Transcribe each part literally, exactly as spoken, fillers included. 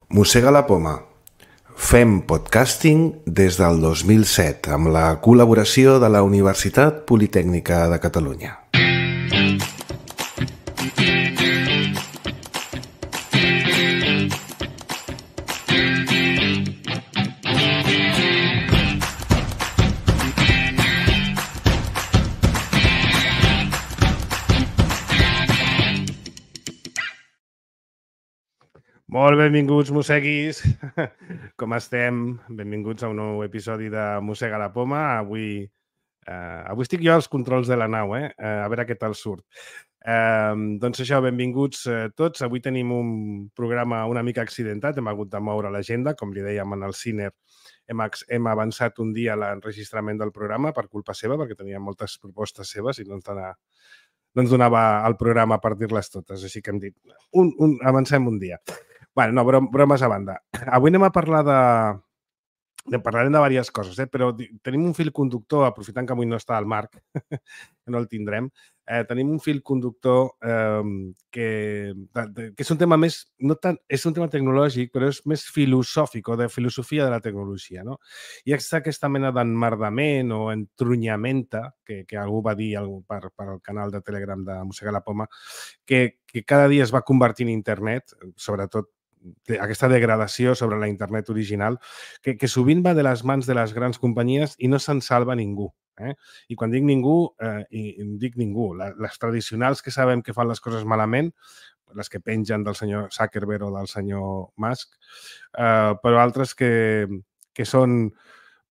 Mossega la poma. Fem podcasting des del dos mil set amb la col·laboració de la Universitat Politècnica de Catalunya. Molt benvinguts, mosseguis. Com estem? Benvinguts a un nou episodi de Mossega la poma. Avui, eh, avui estic jo als controls de la nau, eh? A veure què tal surt. Eh, doncs això, benvinguts eh, tots. Avui tenim un programa una mica accidentat. Hem hagut de moure l'agenda, com li dèiem en el Ciner. Hem, hem avançat un dia l'enregistrament del programa per culpa seva, perquè teníem moltes propostes seves i no ens donava, no ens donava el programa per dir-les totes. Així que hem dit, un, un, avancem un dia. Bueno, no, brom, bromes a banda. Avui anem a parlar de... de parlarem de diverses coses, eh? Però tenim un fil conductor, aprofitant que avui no està el Marc, que no el tindrem, eh, tenim un fil conductor eh, que, de, de, que és un tema més... No tant, és un tema tecnològic, però és més filosòfic o de filosofia de la tecnologia, no? I és aquesta mena d'enmerdament o entrunyamenta, que, que algú va dir algú per, per al canal de Telegram de Mossega la poma, que, que cada dia es va convertir en internet, sobretot aquesta degradació sobre la internet original, que, que sovint va de les mans de les grans companyies i no se'n salva ningú. Eh? I quan dic ningú, eh, i, i dic ningú, la, les tradicionals que sabem que fan les coses malament, les que pengen del senyor Zuckerberg o del senyor Musk, eh, però altres que, que són...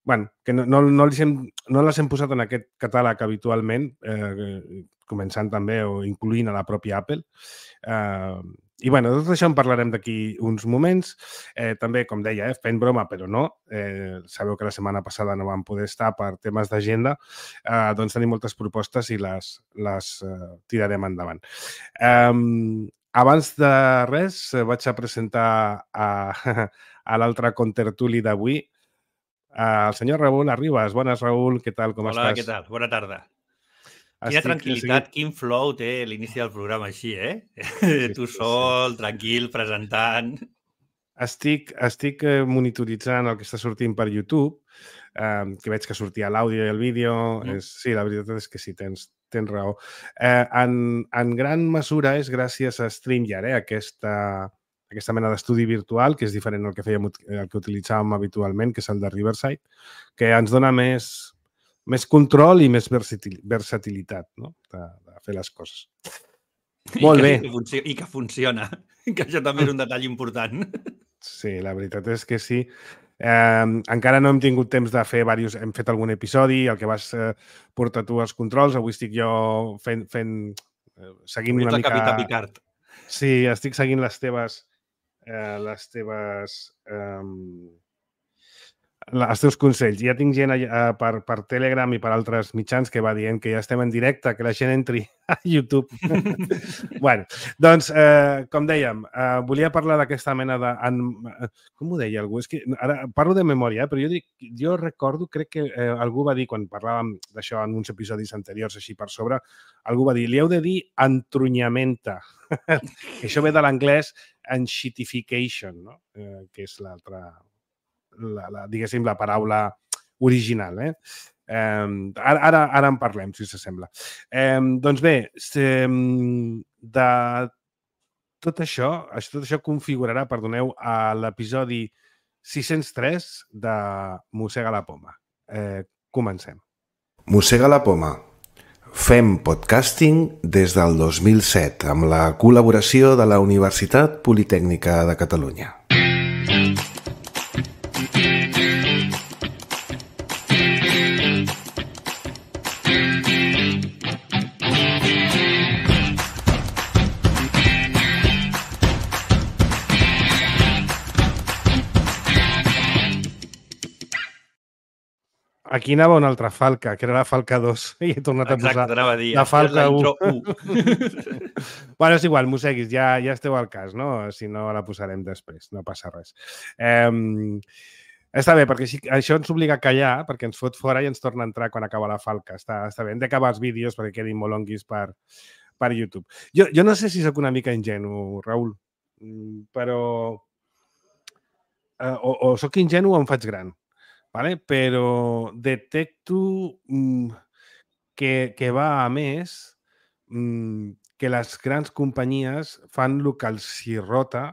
Bueno, que no, no, no, hem, no les hem posat en aquest catàleg habitualment, eh, començant també o incloent a la pròpia Apple. Eh, I, bueno, de tot això en parlarem d'aquí uns moments. Eh, també, com deia, eh, fent broma, però no. Eh, sabeu que la setmana passada no vam poder estar per temes d'agenda. Eh, doncs tenim moltes propostes i les, les eh, tirarem endavant. Eh, abans de res, eh, vaig a presentar a, a l'altre contertuli d'avui, Uh, el senyor Raül Arribas. Bones, Raül, què tal, com Hola, estàs? Hola, què tal? Bona tarda. Quina Estic tranquil·litat, seguit... quin flow té l'inici del programa així, eh? Sí, tu sol, sí. Tranquil, presentant... Estic, estic monitoritzant el que està sortint per YouTube, eh, que veig que sortia l'àudio i el vídeo. Mm. És, sí, la veritat és que sí, tens, tens raó. Eh, en, en gran mesura és gràcies a StreamYard, eh, aquesta... aquesta mena d'estudi virtual, que és diferent del que fèiem, el que utilitzàvem habitualment, que és el de Riverside, que ens dona més, més control i més versatil, versatilitat, no? de, de fer les coses. Molt I que, bé. I que, funciona, I que funciona, que això també és un detall important. Sí, la veritat és que sí. Eh, encara no hem tingut temps de fer diversos... Hem fet algun episodi, el que vas eh, portar tu als controls, avui estic jo fent... fent eh, seguint Avui una ets el mica... Capità Picard. Sí, estic seguint les teves... Eh, les teves... Eh, els teus consells. Ja tinc gent eh, per, per Telegram i per altres mitjans que va dient que ja estem en directe, que la gent entri a YouTube. Bueno, doncs, eh, com dèiem, eh, volia parlar d'aquesta mena de... En, com ho deia algú? És que ara parlo de memòria, eh, però jo, dic, jo recordo, crec que eh, algú va dir, quan parlàvem d'això en uns episodis anteriors, així per sobre, algú va dir, li heu de dir entrunyamenta. Això ve de l'anglès enshittification, no? eh, que és l'altra... La, la, diguéssim, la paraula original. Eh? Eh, ara, ara, ara en parlem, si s'assembla. Eh, doncs bé, se, de tot això, tot això configurarà, perdoneu, a l'episodi sis-cents tres de Mossega la poma. Eh, comencem. Mossega la poma. Fem podcasting des del dos mil set amb la col·laboració de la Universitat Politècnica de Catalunya. Aquí anava una altra falca, que era la falca dos, i he tornat a Exacte, posar a dir, la falca u. Bueno, és igual, mosseguis, ja, ja esteu al cas, no? Si no, la posarem després, no passa res. Eh, està bé, perquè així, això ens obliga a callar, perquè ens fot fora i ens torna a entrar quan acaba la falca. Està, està bé, hem d'acabar els vídeos perquè quedin molt longuis per, per YouTube. Jo, jo no sé si sóc una mica ingenu, Raül, però eh, o, o soc ingenu o em faig gran, vale? Però detecto mm, que, que va a més mm, que les grans companyies fan el que els hi rota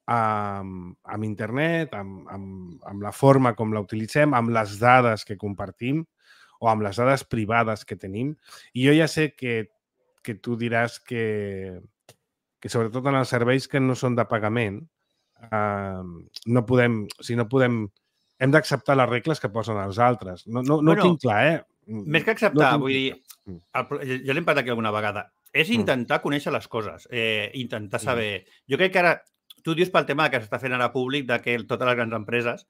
amb, amb internet, amb, amb, amb la forma com la utilitzem, amb les dades que compartim o amb les dades privades que tenim. I jo ja sé que, que tu diràs que, que sobretot en els serveis que no són de pagament, eh, no podem, o sigui, no podem, hem d'acceptar les regles que posen els altres. No, no, no Bueno, ho tinc clar, eh? Més que acceptar, No vull dir, Mm. el, jo l'he parlat aquí alguna vegada, és intentar mm. conèixer les coses, eh, intentar saber... Mm. Jo crec que ara, tu dius pel tema que s'està fent ara públic de que totes les grans empreses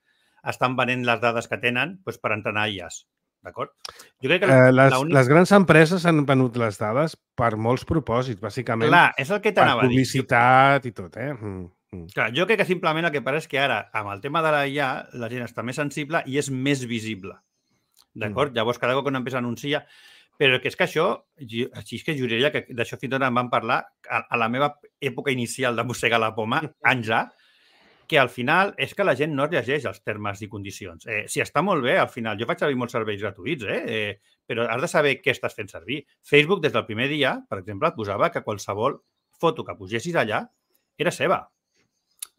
estan venent les dades que tenen doncs, per entrenar I As, d'acord? Jo crec que... Eh, les, les grans empreses han venut les dades per molts propòsits, bàsicament. Clar, és el que t'anava a dir. Per publicitat i tot, eh? Mm. Mm. Clar, jo crec que simplement el que passa és que ara, amb el tema de la I A, la gent està més sensible i és més visible. D'acord? Mm. Llavors, cada cop que una empresa anuncia... Però que és que això, així és que juraria que d'això fins i tot en vam parlar a, a la meva època inicial de mossegar la poma, anys ja, que al final és que la gent no llegeix els termes i condicions. Eh, si està molt bé, al final, jo faig servir molts serveis gratuïts, eh? Eh, però has de saber què estàs fent servir. Facebook, des del primer dia, per exemple, et posava que qualsevol foto que posessis allà era seva.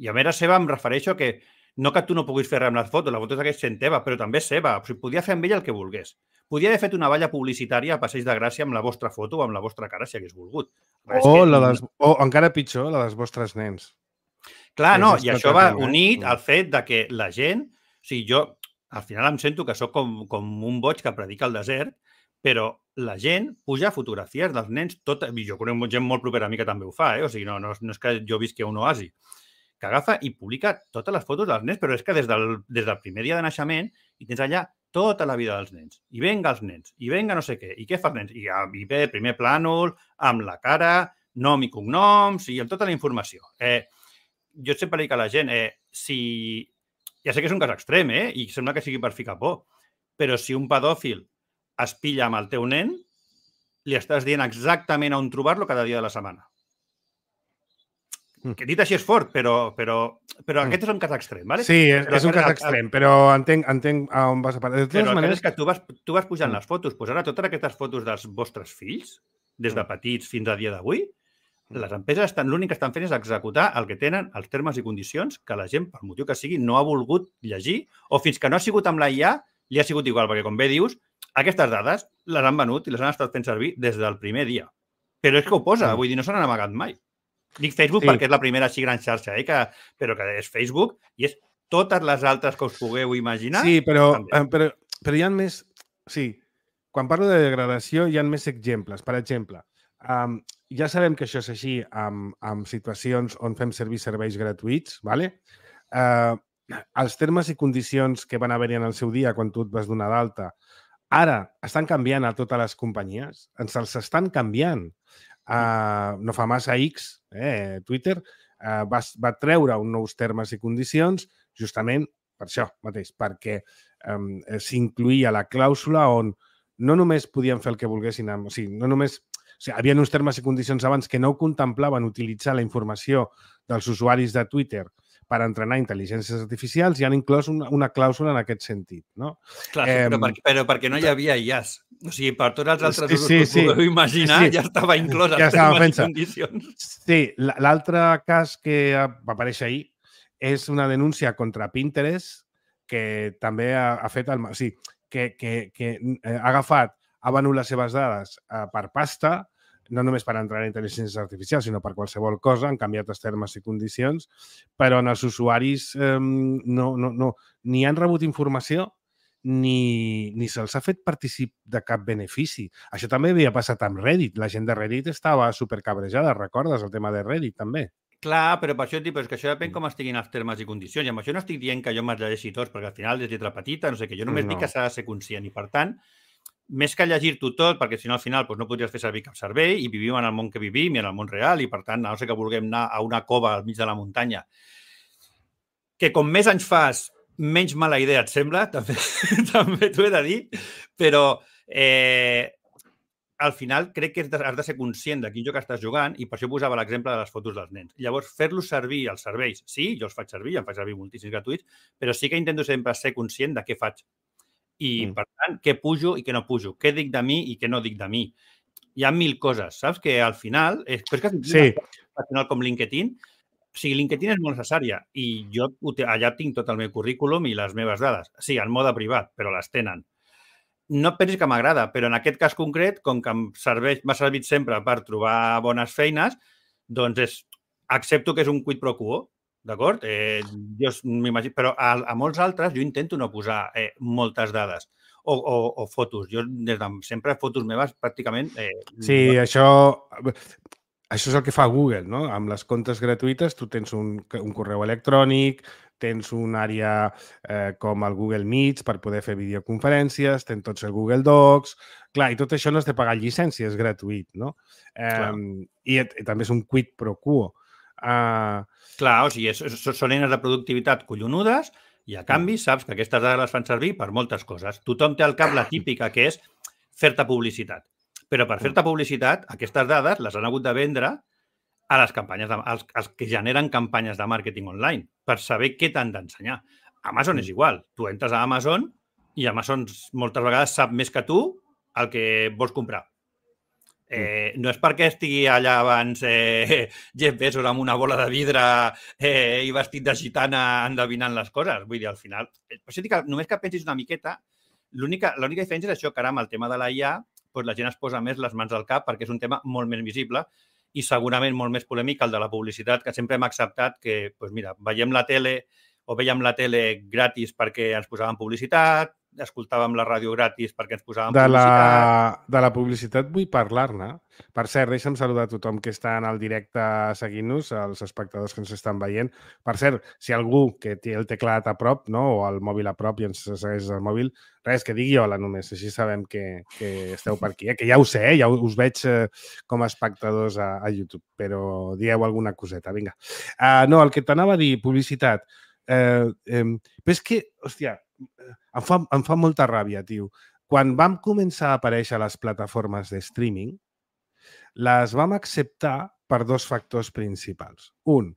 I a més era seva em refereixo que no que tu no puguis fer res amb les fotos, la foto és sent teva, però també és seva. O sigui, podia fer amb ella el que volgués. Podia haver fet una valla publicitària a Passeig de Gràcia amb la vostra foto o amb la vostra cara, si hagués volgut. O, que... la des... o encara pitjor, la dels vostres nens. Clar, no, i això va unit al fet de que la gent... O sigui, jo al final em sento que sóc com, com un boig que predica al desert, però la gent puja fotografies dels nens, tot, i jo conec gent molt propera a mi que també ho fa, eh? O sigui, no, no, no és que jo visqui a un oasi, que agafa i publica totes les fotos dels nens, però és que des del, des del primer dia de naixement i tens allà tota la vida dels nens. I venga els nens, i venga no sé què, i què fa els nens? I, i ve primer plànol, amb la cara, nom i cognoms, i amb tota la informació. Eh, jo sempre dic a la gent, eh, si... Ja sé que és un cas extrem, eh? I sembla que sigui per ficar por, però si un pedòfil es pilla amb el teu nen, li estàs dient exactament on trobar-lo cada dia de la setmana. Que dit així és fort, però, però, però aquest és un cas extrem, ¿vale? Sí, és, és un cas extrem, però entenc, entenc a on vas a parar. De totes però maneres... és que tu vas, tu vas pujant mm. les fotos, pues ara totes aquestes fotos dels vostres fills, des de petits fins a dia d'avui, mm. les empreses estan, l'únic que estan fent és executar el que tenen els termes i condicions que la gent, per motiu que sigui, no ha volgut llegir, o fins que no ha sigut amb la I A, li ha sigut igual, perquè com bé dius, aquestes dades les han venut i les han estat fent servir des del primer dia. Però és que ho posa, mm. vull dir, no se n'han amagat mai. Dic Facebook sí. perquè és la primera així gran xarxa, eh? que, però que és Facebook i és totes les altres que us pugueu imaginar. Sí, però, però, però hi ha més... Sí, quan parlo de degradació hi ha més exemples. Per exemple, um, ja sabem que això és així amb, amb situacions on fem servir serveis gratuïts, ¿vale? Uh, els termes i condicions que van haver-hi en el seu dia quan tu et vas donar d'alta, ara estan canviant a totes les companyies, ens els estan canviant. Uh, no fa massa X, eh, Twitter, uh, va, va treure uns nous termes i condicions justament per això mateix, perquè um, s'incluïa la clàusula on no només podien fer el que volguessin, amb, o sigui, no només, o sigui, hi havia uns termes i condicions abans que no contemplaven utilitzar la informació dels usuaris de Twitter per entrenar intel·ligències artificials i han inclòs una, una clàusula en aquest sentit, no? Clar, sí, eh, però, per, però perquè no hi havia I As. O sigui, per tots els altres sí, usos sí, que sí. podeu imaginar, sí, sí. ja estava inclòs ja els termes i condicions. Sí, l'altre cas que va aparèixer ahir és una denúncia contra Pinterest que també ha, ha fet el... O sigui, que, que, que ha agafat, ha venut les seves dades eh, per pasta, no només per entrar en intel·ligències artificials, sinó per qualsevol cosa, han canviat els termes i condicions, però en els usuaris eh, no, no, no, ni han rebut informació ni, ni se'ls ha fet particip de cap benefici. Això també havia passat amb Reddit. La gent de Reddit estava supercabrejada, recordes el tema de Reddit també? Clar, però per això et dic, però és que això depèn com estiguin els termes i condicions. I amb això no estic dient que jo me'ls llegeixi tots, perquè al final és lletra petita, no sé què. Jo només no. dic que s'ha de ser conscient i, per tant, més que llegir-t'ho tot, perquè si no al final doncs, no podries fer servir cap servei i vivim en el món que vivim i en el món real i, per tant, a no sé que vulguem anar a una cova al mig de la muntanya, que com més anys fas, menys mala idea et sembla, també, també t'ho he de dir, però eh, al final crec que has de ser conscient de quin joc estàs jugant i per això posava l'exemple de les fotos dels nens. Llavors, fer-los servir els serveis, sí, jo els faig servir, em faig servir moltíssims gratuïts, però sí que intento sempre ser conscient de què faig. I, mm. per tant, què pujo i què no pujo, què dic de mi i què no dic de mi. Hi ha mil coses, saps? Que al final, és, però és que sí. Al final com LinkedIn, o sigui, LinkedIn és molt necessària i jo allà tinc tot el meu currículum i les meves dades. Sí, en mode privat, però les tenen. No et pensis que m'agrada, però en aquest cas concret, com que em serveix, m'ha servit sempre per trobar bones feines, doncs és, accepto que és un quid pro quo, d'acord? Eh, jo m'imagino, però a, a molts altres jo intento no posar eh, moltes dades o, o, o fotos. Jo des de sempre fotos meves pràcticament... Eh, sí, no... això... Això és el que fa Google, no? Amb les comptes gratuïtes tu tens un, un correu electrònic, tens una àrea eh, com el Google Meets per poder fer videoconferències, tens tots el Google Docs... Clar, i tot això no has de pagar llicència, és gratuït, no? Eh, i, I també és un quid pro quo. Uh... Clar, o sigui, és, són eines de productivitat collonudes i a canvi saps que aquestes dades les fan servir per moltes coses. Tothom té al cap la típica que és fer-te publicitat. Però per fer-te publicitat, aquestes dades les han hagut de vendre a les campanyes de, als, als que generen campanyes de màrqueting online per saber què t'han d'ensenyar. Amazon és igual. Tu entres a Amazon i Amazon moltes vegades sap més que tu el que vols comprar. Eh, no és perquè estigui allà abans eh, Jeff Bezos amb una bola de vidre eh, i vestit de gitana endevinant les coses. Vull dir, al final... Per això dic que només que pensis una miqueta, l'única diferència és això, que ara amb el tema de l'A I A doncs la gent es posa més les mans al cap perquè és un tema molt més visible i segurament molt més polèmic que el de la publicitat, que sempre hem acceptat que, doncs mira, veiem la tele o veiem la tele gratis perquè ens posàvem publicitat, escoltàvem la ràdio gratis perquè ens posàvem de publicitat... La, de la publicitat vull parlar-ne. Per cert, deixa'm saludar a tothom que està en el directe seguint-nos, els espectadors que ens estan veient. Per cert, si algú que té el teclat a prop, no, o el mòbil a prop i ens segueix el mòbil, res, que digui hola només, així sabem que, que esteu per aquí. Eh? Que ja ho sé, eh? Ja us veig eh, com a espectadors a, a YouTube, però dieu alguna coseta, vinga. Uh, no, el que t'anava a dir, publicitat. Eh, eh, però és que, hòstia, em fa, em fa molta ràbia, tio. Quan vam començar a aparèixer les plataformes de streaming, les vam acceptar per dos factors principals. Un,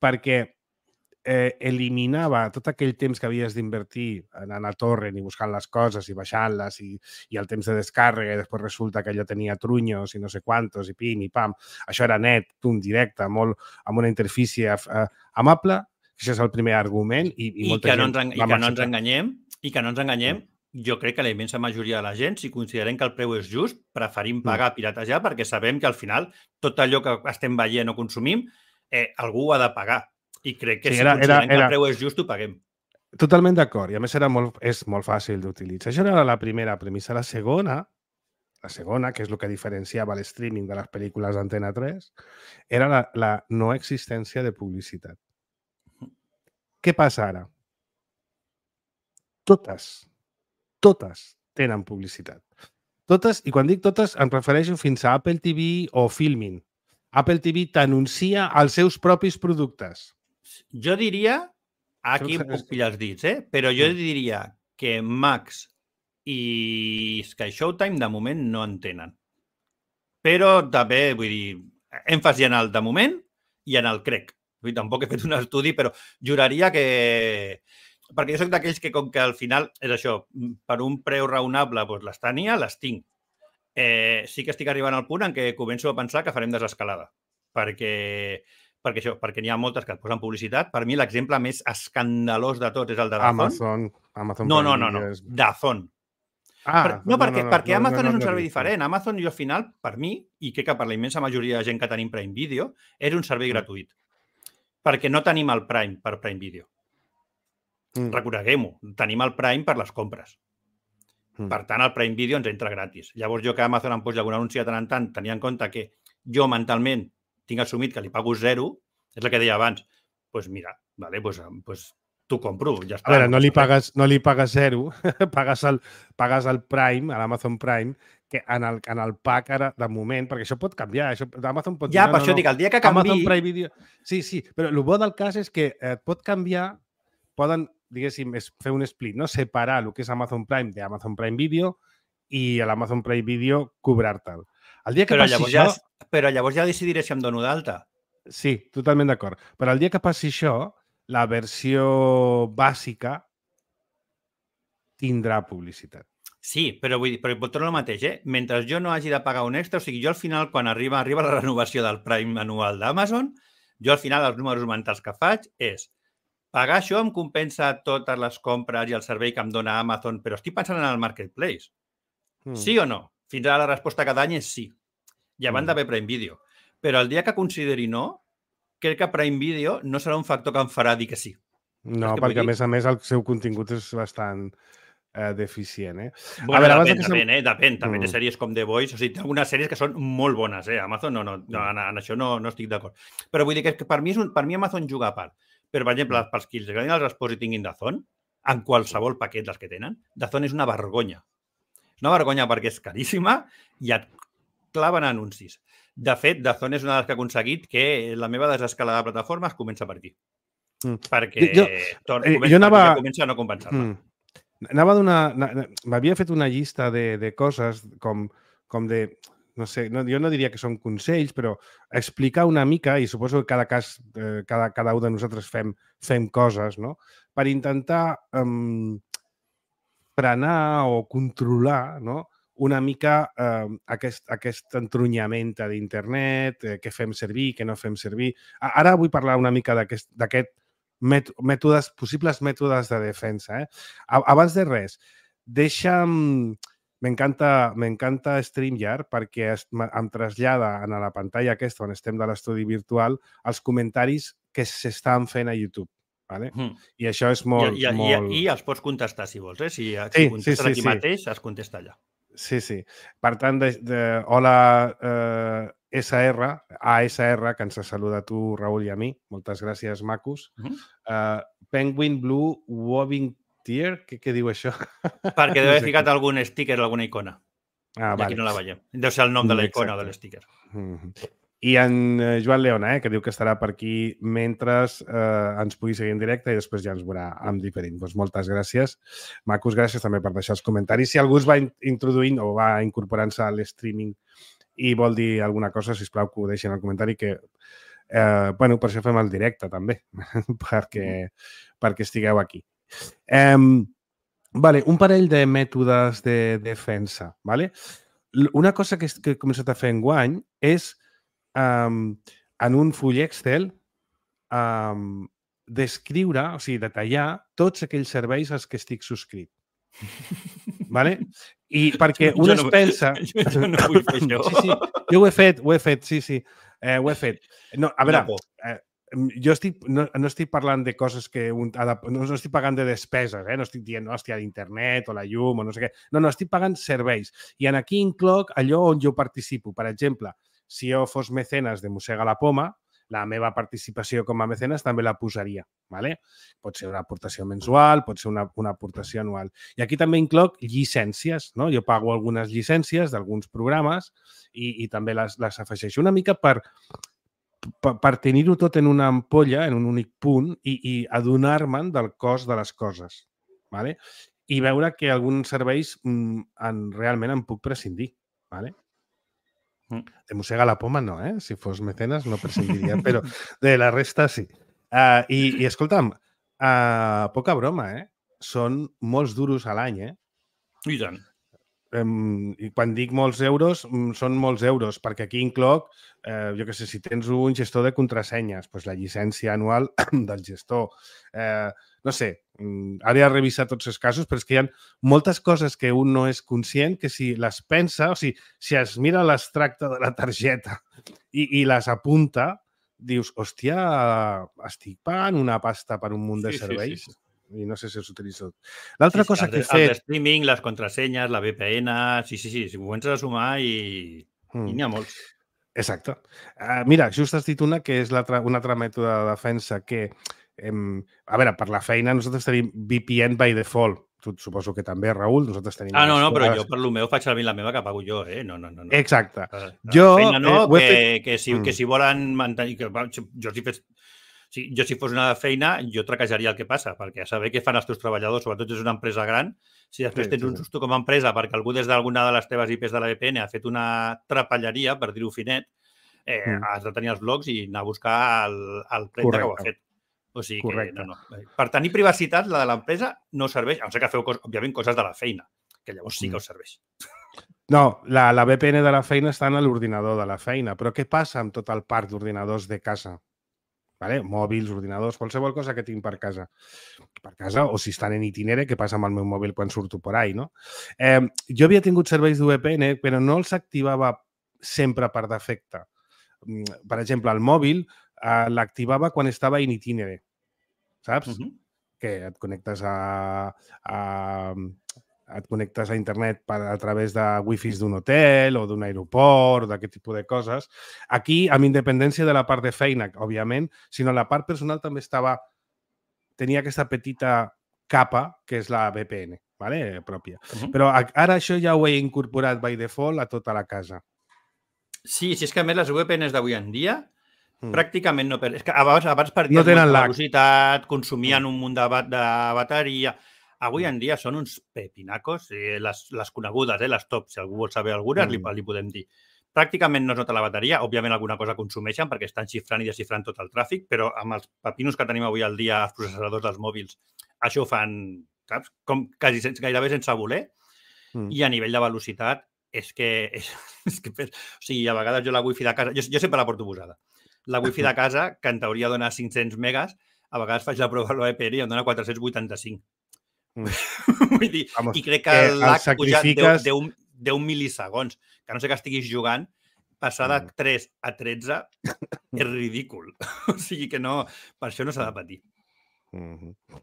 perquè eh, eliminava tot aquell temps que havies d'invertir anant a torrent i buscant les coses i baixant-les i, i el temps de descàrrega i després resulta que allò tenia trunyos i no sé quantos i pim i pam. Això era net, tum, directe, molt, amb una interfície eh, amable. Això és el primer argument. I, i, I, molta que, no gent ens, i que no ens enganyem, i que no ens enganyem, jo crec que la immensa majoria de la gent, si considerem que el preu és just, preferim pagar piratejar perquè sabem que al final tot allò que estem veient o consumim, eh, algú ho ha de pagar. I crec que sí, si era, considerem era, era... que el preu és just, ho paguem. Totalment d'acord. I a més era molt, és molt fàcil d'utilitzar. Això era la primera premissa. La segona, la segona, que és el que diferenciava l'streaming de les pel·lícules d'Antena tres, era la, la no existència de publicitat. Què passa ara? Totes, totes tenen publicitat. Totes, i quan dic totes, em refereixo fins a Apple T V o Filmin. Apple T V t'anuncia els seus propis productes. Jo diria, aquí em puc pillar els dits, eh? Però jo diria que Max i Sky Showtime de moment no en tenen. Però també, vull dir, èmfasi en el de moment i en el crec. Vull dir, tampoc he fet un estudi, però juraria que... Perquè jo soc d'aquells que, com que al final és això, per un preu raonable doncs les tenia, les tinc. Eh, sí que estic arribant al punt en què començo a pensar que farem desescalada. Perquè, perquè això, perquè n'hi ha moltes que et posen publicitat. Per mi l'exemple més escandalós de tot és el de Dazón. Amazon. Amazon no, no, no, no. És... Dazón. Ah, per, no, perquè, no, no, perquè Amazon no, no, no, és un servei no, diferent. Amazon, jo al final, per mi, i crec que per la immensa majoria de gent que tenim Prime Video, és un servei mm. gratuït. Perquè no tenim el Prime per Prime Video. Mm. Reconeguem-ho, tenim el Prime per les compres. Mm. Per tant, el Prime Video ens entra gratis. Llavors, jo que Amazon em posi algun anunci de tant en tant, tenia en compte que jo mentalment tinc assumit que li pago zero, és el que deia abans, doncs pues mira, vale, pues, pues t'ho compro, ja està. A veure, no li pagues, no li pagues zero, pagues, el, pagues el Prime, a l'Amazon Prime, que en el, en el pack ara, de moment, perquè això pot canviar, això, Amazon pot dir... Ja, no, per no, això no, dic, el dia que canvi... Amazon Prime Video... Sí, sí, però el bo del cas és que et pot canviar, poden, diguéssim, fer un split, no? Separar el que és Amazon Prime d'Amazon Prime Video i a l'Amazon Prime Video cobrar-te'l. El dia que però passi llavors això... Ja, però llavors ja decidiré si em dono d'alta. Sí, totalment d'acord. Però el dia que passi això, la versió bàsica tindrà publicitat. Sí, però vull dir, però torno al mateix, eh? Mentre jo no hagi de pagar un extra, o sigui, jo al final, quan arriba, arriba la renovació del Prime anual d'Amazon, jo al final els números mentals que faig és pagar això em compensa totes les compres i el servei que em dona Amazon, però estic pensant en el Marketplace. Mm. Sí o no? Fins ara la resposta cada any és sí. I abans mm. d'haver Prime Video. Però el dia que consideri no, crec que Prime Video no serà un factor que em farà dir que sí. No, perquè a més a més el seu contingut és bastant eh, deficient, eh? Bueno, a veure, depèn, que depèn, eh? Depèn. També mm. té sèries com The Voice. O sigui, té algunes sèries que són molt bones, eh? Amazon no, no, no en, en això no, no estic d'acord. Però vull dir que per mi, és un, per mi Amazon juga a part. Però, per exemple, mm. pels que els agradin els esports i tinguin Dazón, en qualsevol paquet dels que tenen, Dazón és una vergonya. És una vergonya perquè és caríssima i et claven anuncis. De fet, Dazón és una de les que ha aconseguit que la meva desescalada de plataformes comença per aquí. Mm. Perquè jo, tot, eh, comença, jo anava... ja comença a no compensar-la. Mm. Anava a donar... M'havia fet una llista de, de coses com, com de... No sé, no, jo no diria que són consells, però explicar una mica, i suposo que cada cas, eh, cada, cada un de nosaltres fem, fem coses, no? Per intentar um, frenar o controlar, no? Una mica eh, aquest, aquest entrunyament d'internet, eh, què fem servir, què no fem servir. Ara vull parlar una mica d'aquest mètodes, possibles mètodes de defensa. Eh? Abans de res, deixa'm... M'encanta m'encanta StreamYard perquè es, em trasllada a la pantalla aquesta on estem de l'estudi virtual els comentaris que s'estan fent a YouTube. Vale? Mm. I això és molt... I, i, molt... I, i els pots contestar, si vols. Eh? Si, si sí, contestes sí, sí, aquí sí. mateix, es contesta allà. Sí, sí. Per tant, de, de, hola eh, S R, A S R, que ens saluda a tu, Raül, i a mi. Moltes gràcies, macos. Mm -hmm. uh, Penguin Blue Wobbing Tier, què, què diu això? Perquè deu haver ficat algun sticker, alguna icona. Ah, I vale. aquí no la veiem. Deu ser el nom de la icona o de l'sticker. Mm-hmm. I en Joan Leona, eh, que diu que estarà per aquí mentre eh, ens pugui seguir en directe i després ja ens veurà en diferent. Doncs moltes gràcies. Macos, gràcies també per deixar els comentaris. Si algú es va introduint o va incorporant-se a l'streaming i vol dir alguna cosa, sisplau, que ho deixin al comentari, que eh, bueno, per això fem el directe també, perquè, perquè estigueu aquí. Um, vale, un parell de mètodes de defensa. Vale? Una cosa que, que he començat a fer enguany és um, en un full Excel um, descriure, o sigui, detallar tots aquells serveis als que estic subscrit. Vale? I perquè un es pensa... Jo, jo no vull fer això. Sí, sí, jo ho he fet, ho he fet, sí, sí, eh, ho he fet. No, a veure, eh, jo estic, no, no estic parlant de coses que... Un, no, no estic pagant de despeses, eh? No estic dient, no, hòstia, d'internet o la llum o no sé què. No, no, estic pagant serveis. I en aquí incloc allò on jo participo. Per exemple, si jo fos mecenes de Mossega la Poma, la meva participació com a mecenes també la posaria. ¿Vale? Pot ser una aportació mensual, pot ser una, una aportació anual. I aquí també incloc llicències. No? Jo pago algunes llicències d'alguns programes i, i també les, les afegeixo una mica per... per, per tenir-ho tot en una ampolla, en un únic punt, i, i adonar-me'n del cost de les coses. ¿Vale? I veure que alguns serveis mm, en, realment en puc prescindir. ¿Vale? De Mossega la Poma no, eh? Si fos mecenes no prescindiria, però de la resta sí. Uh, i, I escolta'm, uh, poca broma, eh? Són molts duros a l'any, eh? I tant. Um, I quan dic molts euros, um, són molts euros, perquè aquí incloc, eh, jo què sé, si tens un gestor de contrasenyes, doncs la llicència anual del gestor. Eh, no sé, um, ara he revisat tots els casos, però és que hi ha moltes coses que un no és conscient que si les pensa, o sigui, si es mira l'extracte de la targeta i, i les apunta, dius, hòstia, estic pagant una pasta per un munt de sí, serveis. Sí, sí, sí. I no sé si us utilitzo. L'altra sí, cosa sí, que he fet... El streaming, les contrasenyes, la V P N... Sí, sí, sí, si ho comences a sumar i, mm. i n'hi ha molts. Exacte. Uh, mira, just has dit una que és un altre mètode de defensa que, em, a veure, per la feina nosaltres tenim V P N by default. Tu suposo que també, Raül, nosaltres tenim... Ah, no, no, però jo per lo meu faig servir la meva que pago jo, eh? No, no, no. no. Exacte. La, la jo... feina no, eh, que, fet... que, si, mm. que si volen mantenir... Que, jo estic fet... Sí, jo, si fos una feina, jo traquejaria el que passa, perquè a saber què fan els teus treballadors, sobretot si és una empresa gran, si després sí, tens sí, un susto com a empresa perquè algú des d'alguna de les teves I Pes de la V P N ha fet una trapelleria, per dir-ho finet, eh, mm. has de tenir els blocs i anar a buscar el, el prenda que ho ha fet. O sigui Correcte. que, no, no. Per tenir privacitat, la de l'empresa no serveix, a no ser que feu, cos, òbviament, coses de la feina, que llavors sí que us serveix. No, la, la V P N de la feina està en l'ordinador de la feina, però què passa amb tot el parc d'ordinadors de casa? Vale? Mòbils, ordinadors, qualsevol cosa que tinc per casa. Per casa, o si estan en itinere, què passa amb el meu mòbil quan surto por ahí, no? Eh, jo havia tingut serveis de V P N, però no els activava sempre per defecte. Per exemple, el mòbil eh, l'activava quan estava in itinere, saps? Uh-huh. Que et connectes a... a et connectes a internet per, a través de wifis d'un hotel o d'un aeroport, d'aquest tipus de coses. Aquí, amb independència de la part de feina, òbviament, sinó la part personal també estava... Tenia aquesta petita capa, que és la V P N, ¿vale? Pròpia. Uh-huh. Però ara això ja ho he incorporat by default a tota la casa. Sí, si és que a més les V P Ns d'avui en dia mm. pràcticament no... Per... És que abans, abans perdien no tenen molta velocitat, consumien mm. un munt de, de bateria... Avui en dia són uns pepinacos, eh, les, les conegudes, eh, les top, si algú vol saber algunes, mm. li, li podem dir. Pràcticament no es nota la bateria, òbviament alguna cosa consumeixen perquè estan xifrant i desxifrant tot el tràfic, però amb els pepinos que tenim avui al dia, els processadors dels mòbils, això ho fan, saps? Com quasi sense, gairebé sense voler, mm. i a nivell de velocitat és que... És, és que o sigui, a vegades jo la wifi de casa... Jo, jo sempre la porto posada. La wifi de casa, que en teoria dona cinc-cents megas, a vegades faig la prova a l'O E P N i em dona quatre-cents vuitanta-cinc. Mm. Vull dir, Vamos, i crec que, que l'H sacrifiques... puja deu milisegons, que no sé que estiguis jugant, passar de tres a tretze és ridícul. O sigui que no, per això no s'ha de patir. Mm-hmm.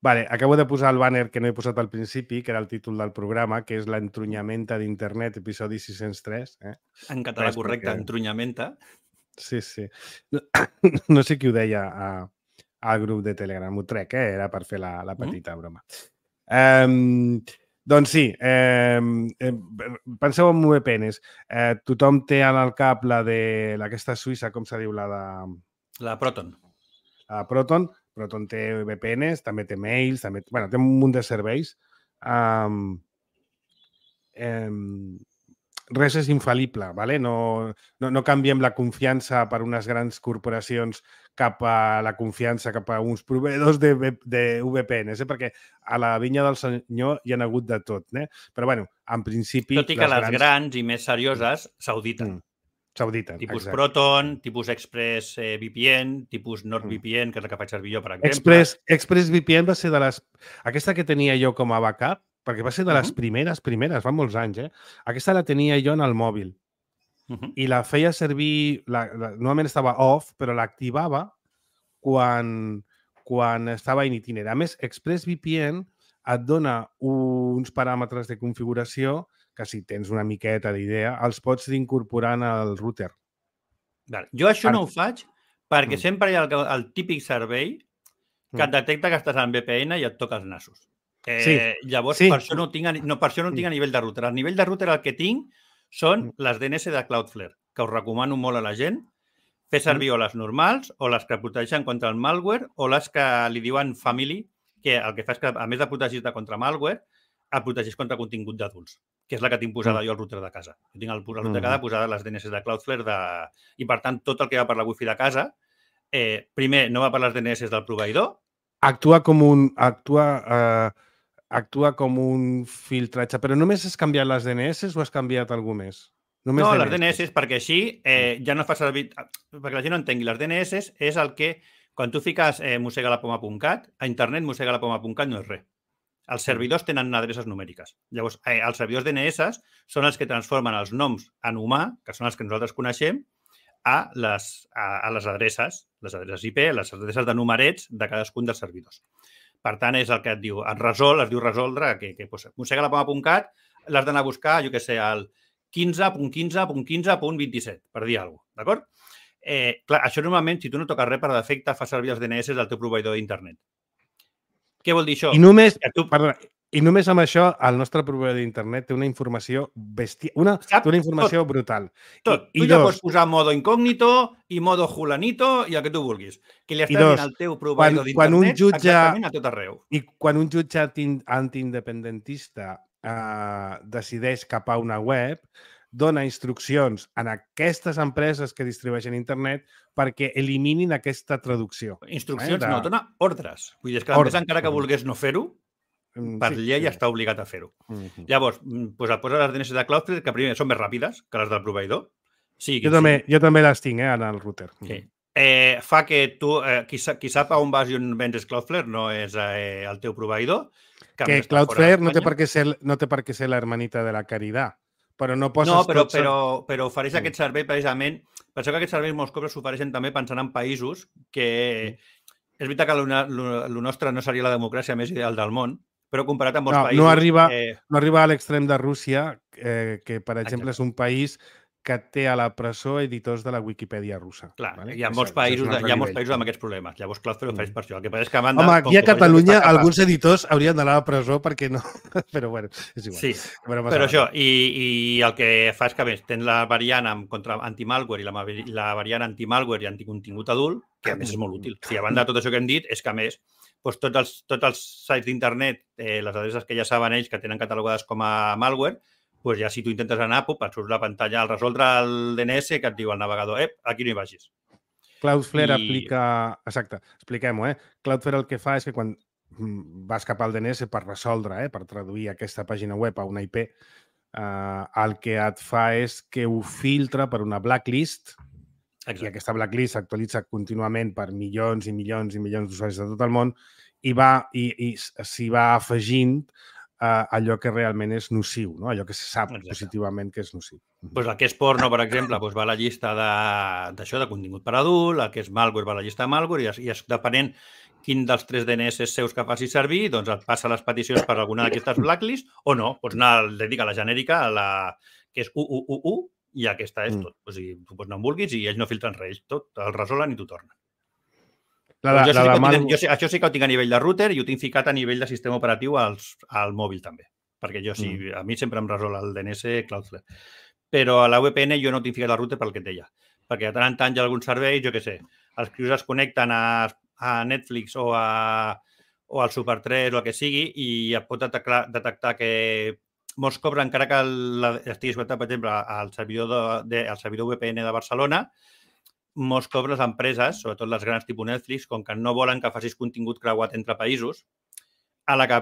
Vale, acabo de posar el banner que no he posat al principi, que era el títol del programa, que és l'entrunyamenta d'internet, episodi sis-cents tres. Eh? En català Res correcte, perquè... entrunyamenta. Sí, sí. No, no sé qui ho deia a... al grup de Telegram, ho trec, eh? Era per fer la, la petita mm. broma. Um, doncs sí, eh, eh, penseu en V P Ns. Eh, tothom té en el cap la de aquesta suïssa, com se diu, la de... La Proton. La Proton. Proton té V P Ns, també té mails, també... Bueno, té un munt de serveis. Um, um, res és infal·lible, ¿vale? No, no, no canviem la confiança per unes grans corporacions cap a la confiança cap a uns proveïdors de, de V P Ns, eh? Perquè a la vinya del senyor hi ha hagut de tot, eh? Però, bueno, en principi... Tot i que les, les grans... grans i més serioses s'auditen. Mm. S'auditen, tipus exacte. Proton, tipus Express eh, V P N, tipus NordVPN, que és la que faig servir jo, per exemple. Express, Express V P N va ser de les... Aquesta que tenia jo com a backup, perquè va ser de les uh-huh. primeres, primeres, fa molts anys, eh? Aquesta la tenia jo en el mòbil. Uh-huh. I la feia servir... La, la, normalment estava off, però l'activava quan, quan estava in itinere. A més, ExpressVPN et dona uns paràmetres de configuració que, si tens una miqueta d'idea, els pots incorporar al router. Vale. Jo això no ho faig perquè mm. sempre hi ha el, el típic servei que et detecta que estàs en V P N i et toca els nassos. Eh, sí. Llavors, sí. per això no tinc, no, per això no tinc a nivell de router. A nivell de router el que tinc són les D N S de Cloudflare, que us recomano molt a la gent fer servir o les normals, o les que protegeixen contra el malware, o les que li diuen family, que el que fa és que, a més de protegir-te contra malware, et protegeix contra contingut d'adults, que és la que tinc posada jo al router de casa. Jo tinc el, el router de casa posada les D N S de Cloudflare de... i, per tant, tot el que va per la wifi de casa, eh, primer, no va per les D N S del proveïdor. Actua com un... Actua, eh, actua com un filtratge, però només has canviat les D N S o has canviat algú més? Només no, D N S. Les D N S, perquè així eh, ja no fa servir... Perquè la gent no entengui, les D N S és el que, quan tu fiques eh, mosegalapoma punt cat, a internet mosegalapoma punt cat no és res. Els servidors tenen adreces numèriques. Llavors, eh, els servidors D N S són els que transformen els noms en humà, que són els que nosaltres coneixem, a les, a, a les adreces, les adreces I P, les adreces de numerets de cadascun dels servidors. Per tant, és el que et diu, et resol, es diu resoldre, que, que pues, mosegalapoma punt cat l'has d'anar a buscar, jo què sé, al quinze punt quinze punt quinze punt vint-i-set, per dir alguna cosa, d'acord? Eh, clar, això normalment, si tu no toques res per defecte, fa servir els D N S del teu proveïdor d'internet. Què vol dir això? I només, tu... perdona, I només amb això, el nostre proveïdor d'internet té una informació bèstia, una, té una informació tot, brutal. Tot. I, tu i ja dos, pots posar modo incògnito i modo julanito i el que tu vulguis. Que li estàs dos, dient al teu quan, proveïdor quan un d'internet jutge, exactament a tot arreu. I quan un jutge anti- antiindependentista eh, decideix capar una web, dona instruccions en aquestes empreses que distribueixen internet perquè eliminin aquesta traducció. Instruccions, eh, de... no, dona ordres. Vull dir, és que l'empresa, encara que volgués no fer-ho, per sí, llei sí. està obligat a fer-ho. Mm-hmm. Llavors, pues, et poses les D N S de Cloudflare, que primer són més ràpides que les del proveïdor. Sí, jo, també, jo també les tinc, eh, en el router. Sí. Eh, fa que tu, eh, qui, qui sap a on vas i on vendes Cloudflare no és eh, el teu proveïdor. Que, que Cloudflare no té per què ser, no té per què ser l'hermanita de la Caridad, però no poses no, però, tots... però, però ofereix mm. aquest servei precisament. Penseu que aquests serveis molts cops s'ofereixen també pensant en països que... Mm. És veritat que el nostre no seria la democràcia més ideal del món, però comparat amb molts no, països... No arriba, eh... no arriba a l'extrem de Rússia, eh, que, per exemple, Exacte. És un país que té a la presó editors de la Wikipedia russa. Clar, vale? hi ha molts països, hi ha molts països amb aquests problemes. Llavors, Cloudflare ofereix per això. El que passa és que a banda... Home, aquí a Catalunya alguns editors haurien d'anar a la presó perquè no... Però, bueno, és igual. Sí, però, però això, i, i el que fa és que, a més, tens la variant amb contra anti-malware i la, la variant anti-malware i anticontingut adult, que a més és molt útil. O sigui, a banda de tot això que hem dit, és que, a més, doncs, tots, els, tots els sites d'internet, eh, les adreces que ja saben ells que tenen catalogades com a malware, pues ja si tu intentes anar, pop, et surt la pantalla al resoldre el D N S que et diu el navegador, eh, aquí no hi vagis. Cloudflare I... aplica... Exacte, expliquem-ho, eh? Cloudflare el que fa és que quan vas cap al D N S per resoldre, eh, per traduir aquesta pàgina web a una I P, eh, el que et fa és que ho filtra per una blacklist. Exacte. I aquesta blacklist s'actualitza contínuament per milions i milions i milions d'usuaris de tot el món i va i, i s'hi va afegint Uh, allò que realment és nociu, no? Allò que se sap Exacte. Positivament que és nociu. Pues el que és porno, per exemple, pues va a la llista d'això, de, de contingut per adult, el que és malware va a la llista de malware i, i depenent quin dels tres D N S seus que faci servir, doncs et passa les peticions per alguna d'aquestes blacklist o no, pots anar a la genèrica, a la, que és u u u u, i aquesta és tot. Mm. O sigui, tu pots anar on vulguis i ells no filtren res, tot el resolen i t'ho tornen. La, la, jo sí la de mal... tinc, jo, això sí que ho tinc a nivell de router i ho tinc ficat a nivell de sistema operatiu als, al mòbil també, perquè jo sí, mm. a mi sempre em resol el D N S Cloudflare. Però a la V P N jo no tinc ficat al router pel que et deia, perquè de tant en tant hi ha alguns serveis, jo què sé, els crios es connecten a, a Netflix o, a, o al Super tres o el que sigui i et pot detectar, detectar que molts cops, encara que la, estiguis connectat, per exemple, al servidor, de, de, al servidor V P N de Barcelona, molts cops les empreses, sobretot les grans tipus Netflix, com que no volen que facis contingut creuat entre països, a la que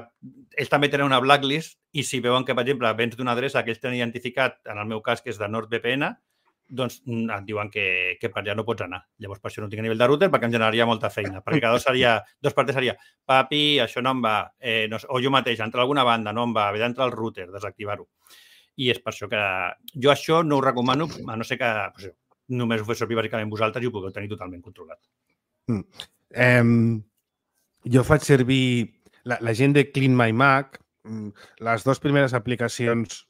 ells també tenen una blacklist i si veuen que, per exemple, vens d'una adreça que ells tenen identificat, en el meu cas, que és de NordVPN, doncs et diuen que, que per allà no pots anar. Llavors, per això no tinc a nivell de router, perquè em generaria molta feina. Perquè cada dos seria, dos partes seria, papi, això no em va, eh, no, o jo mateix, entrar a alguna banda, no em va, haver d'entrar al router, desactivar-ho. I és per això que jo això no ho recomano, a no ser que pues, només ho fes servir bàsicament vosaltres i ho pugueu tenir totalment controlat. Mm. Um, jo faig servir la, la gent de Clean My Mac, les dues primeres aplicacions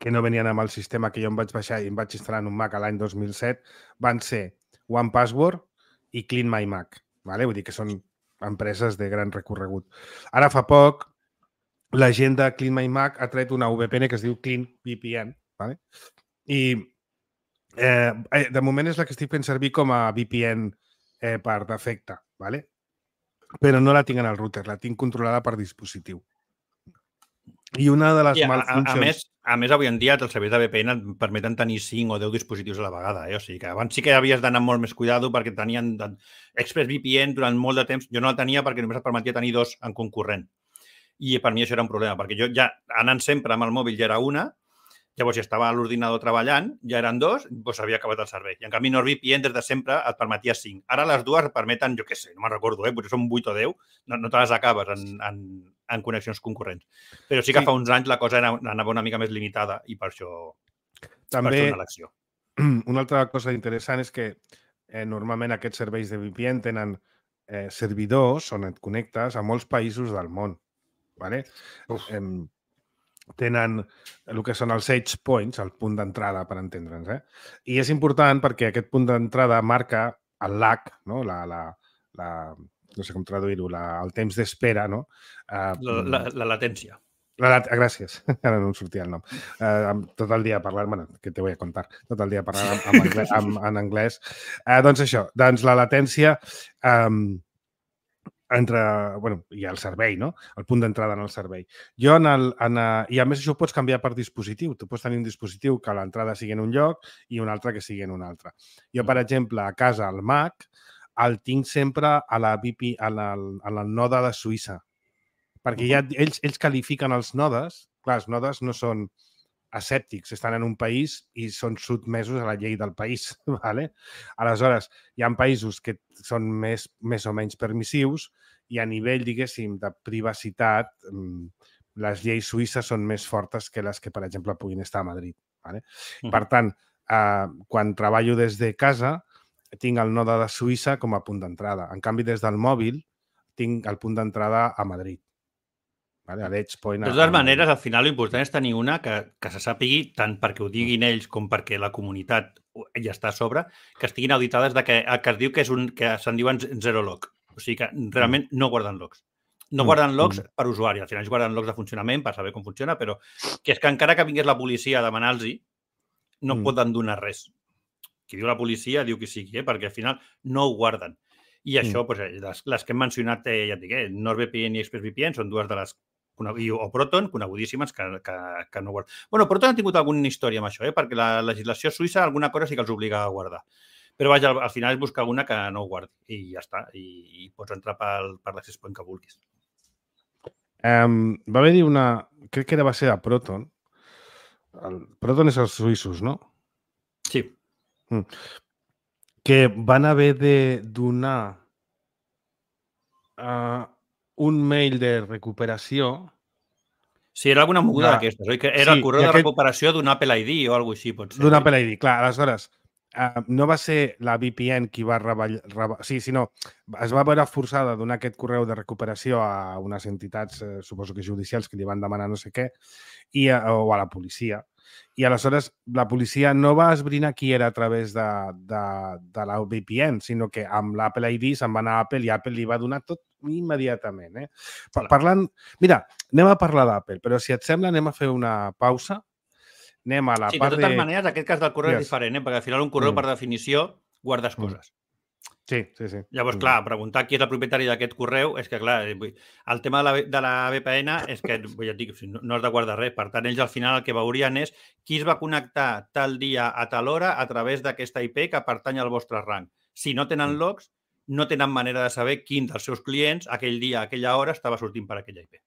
que no venien amb el sistema que jo em vaig baixar i em vaig instal·lar en un Mac a l'any dos mil set, van ser One Password i Clean My Mac. Vale? Vull dir que són empreses de gran recorregut. Ara fa poc, la gent de Clean My Mac ha tret una V P N que es diu Clean V P N. Vale? I eh, de moment és la que estic fent servir com a V P N eh, per defecte. Vale? Però no la tinc en el router, la tinc controlada per dispositiu. I una de les I a, malfuncions... A, a, més, a més, avui en dia els serveis de V P N et permeten tenir cinc o deu dispositius a la vegada. Eh? O sigui que abans sí que havies d'anar molt més cuidado perquè tenien ExpressVPN durant molt de temps. Jo no la tenia perquè només et permetia tenir dos en concurrent. I per mi això era un problema, perquè jo ja anant sempre amb el mòbil ja era una, llavors si estava a l'ordinador treballant, ja eren dos, doncs havia acabat el servei. I en canvi NordVPN des de sempre et permetia cinc. Ara les dues et permeten, jo què sé, no me'n recordo, eh? potser són vuit o deu, no, no te les acabes en, en, en connexions concurrents. Però sí que sí. Fa uns anys la cosa era, anava una mica més limitada i per això, també, per això una elecció. Una altra cosa interessant és que eh, normalment aquests serveis de V P N tenen eh, servidors on et connectes a molts països del món. Vale? Eh, tenen el que són els edge points, el punt d'entrada, per entendre'ns. Eh? I és important perquè aquest punt d'entrada marca el lag, no? la, la, la, no sé com traduir-ho, el temps d'espera, no? Uh, la, la, la latència. La lat... Gràcies, ara no em sortia el nom. Uh, tot el dia parlant, bueno, que te voy a contar, tot el dia parlant en, en anglès. En, en anglès. Uh, doncs això, doncs la latència um, entre, bueno, i el servei, no? El punt d'entrada en el servei. Jo en el, en, uh, I a més això ho pots canviar per dispositiu. Tu pots tenir un dispositiu que l'entrada sigui en un lloc i un altre que sigui en un altre. Jo, per exemple, a casa, al Mac, el tinc sempre a la V P, a la, a la node de Suïssa. Perquè ja, ells, ells qualifiquen els nodes. Clar, els nodes no són escèptics, estan en un país i són sotmesos a la llei del país. ¿Vale? Aleshores, hi ha països que són més, més o menys permissius i a nivell, diguéssim, de privacitat, les lleis suïsses són més fortes que les que, per exemple, puguin estar a Madrid. ¿Vale? Uh-huh. Per tant, eh, quan treballo des de casa, tinc el node de Suïssa com a punt d'entrada. En canvi, des del mòbil, tinc el punt d'entrada a Madrid. Vale? A l'Edge Point. De totes maneres, al final l'important és tenir una que, que se sàpigui, tant perquè ho diguin ells com perquè la comunitat ja està a sobre, que estiguin auditades de que, que es diu que, és un, que se'n diuen zero log. O sigui que realment no guarden logs. No guarden logs mm. per usuari. Al final ells guarden logs de funcionament per saber com funciona, però que és que encara que vingués la policia a demanar-los-hi, no mm. poden donar res. Qui diu la policia diu qui sigui, eh? Perquè al final no ho guarden. I això, mm. doncs, les, les que hem mencionat, eh, ja et dic, eh, NordVPN i ExpressVPN són dues de les o Proton, conegudíssimes, que, que, que no guarden. Bueno, Proton ha tingut alguna història amb això, eh? Perquè la legislació suïssa alguna cosa sí que els obliga a guardar. Però vaja, al, al final és buscar una que no ho guardi i ja està. I, i pots entrar pel, per l'access point que vulguis. Um, va haver-hi una... Crec que va ser de Proton. El Proton és els suïssos, no? Sí. Mm. Que van haver de donar uh, un mail de recuperació. Sí, era alguna moguda d'aquestes, oi? Que era sí, el correu de aquest... recuperació d'un Apple I D o alguna cosa així, pot ser. D'un Apple I D, clar. Aleshores, uh, no va ser la V P N qui va reballar... Reba... Sí, sinó es va veure forçada a donar aquest correu de recuperació a unes entitats, eh, suposo que judicials, que li van demanar no sé què, i a, o a la policia. I aleshores la policia no va esbrinar qui era a través de, de, de la V P N, sinó que amb l'Apple I D se'n va anar a Apple i Apple li va donar tot immediatament. Eh? Parlant... Mira, anem a parlar d'Apple, però si et sembla anem a fer una pausa. Anem a la sí, part de... Sí, de totes maneres, aquest cas del correu yes. és diferent, eh? Perquè al final un correu, mm. per definició, guardes mm. coses. Sí, sí, sí. Llavors, mm. clar, preguntar qui és el propietari d'aquest correu és que, clar, el tema de la, de la V P N és que, ja et dic, no has de guardar res. Per tant, ells al final el que veurien és qui es va connectar tal dia a tal hora a través d'aquesta I P que pertany al vostre rang. Si no tenen logs, no tenen manera de saber quin dels seus clients aquell dia, a aquella hora, estava sortint per aquella I P.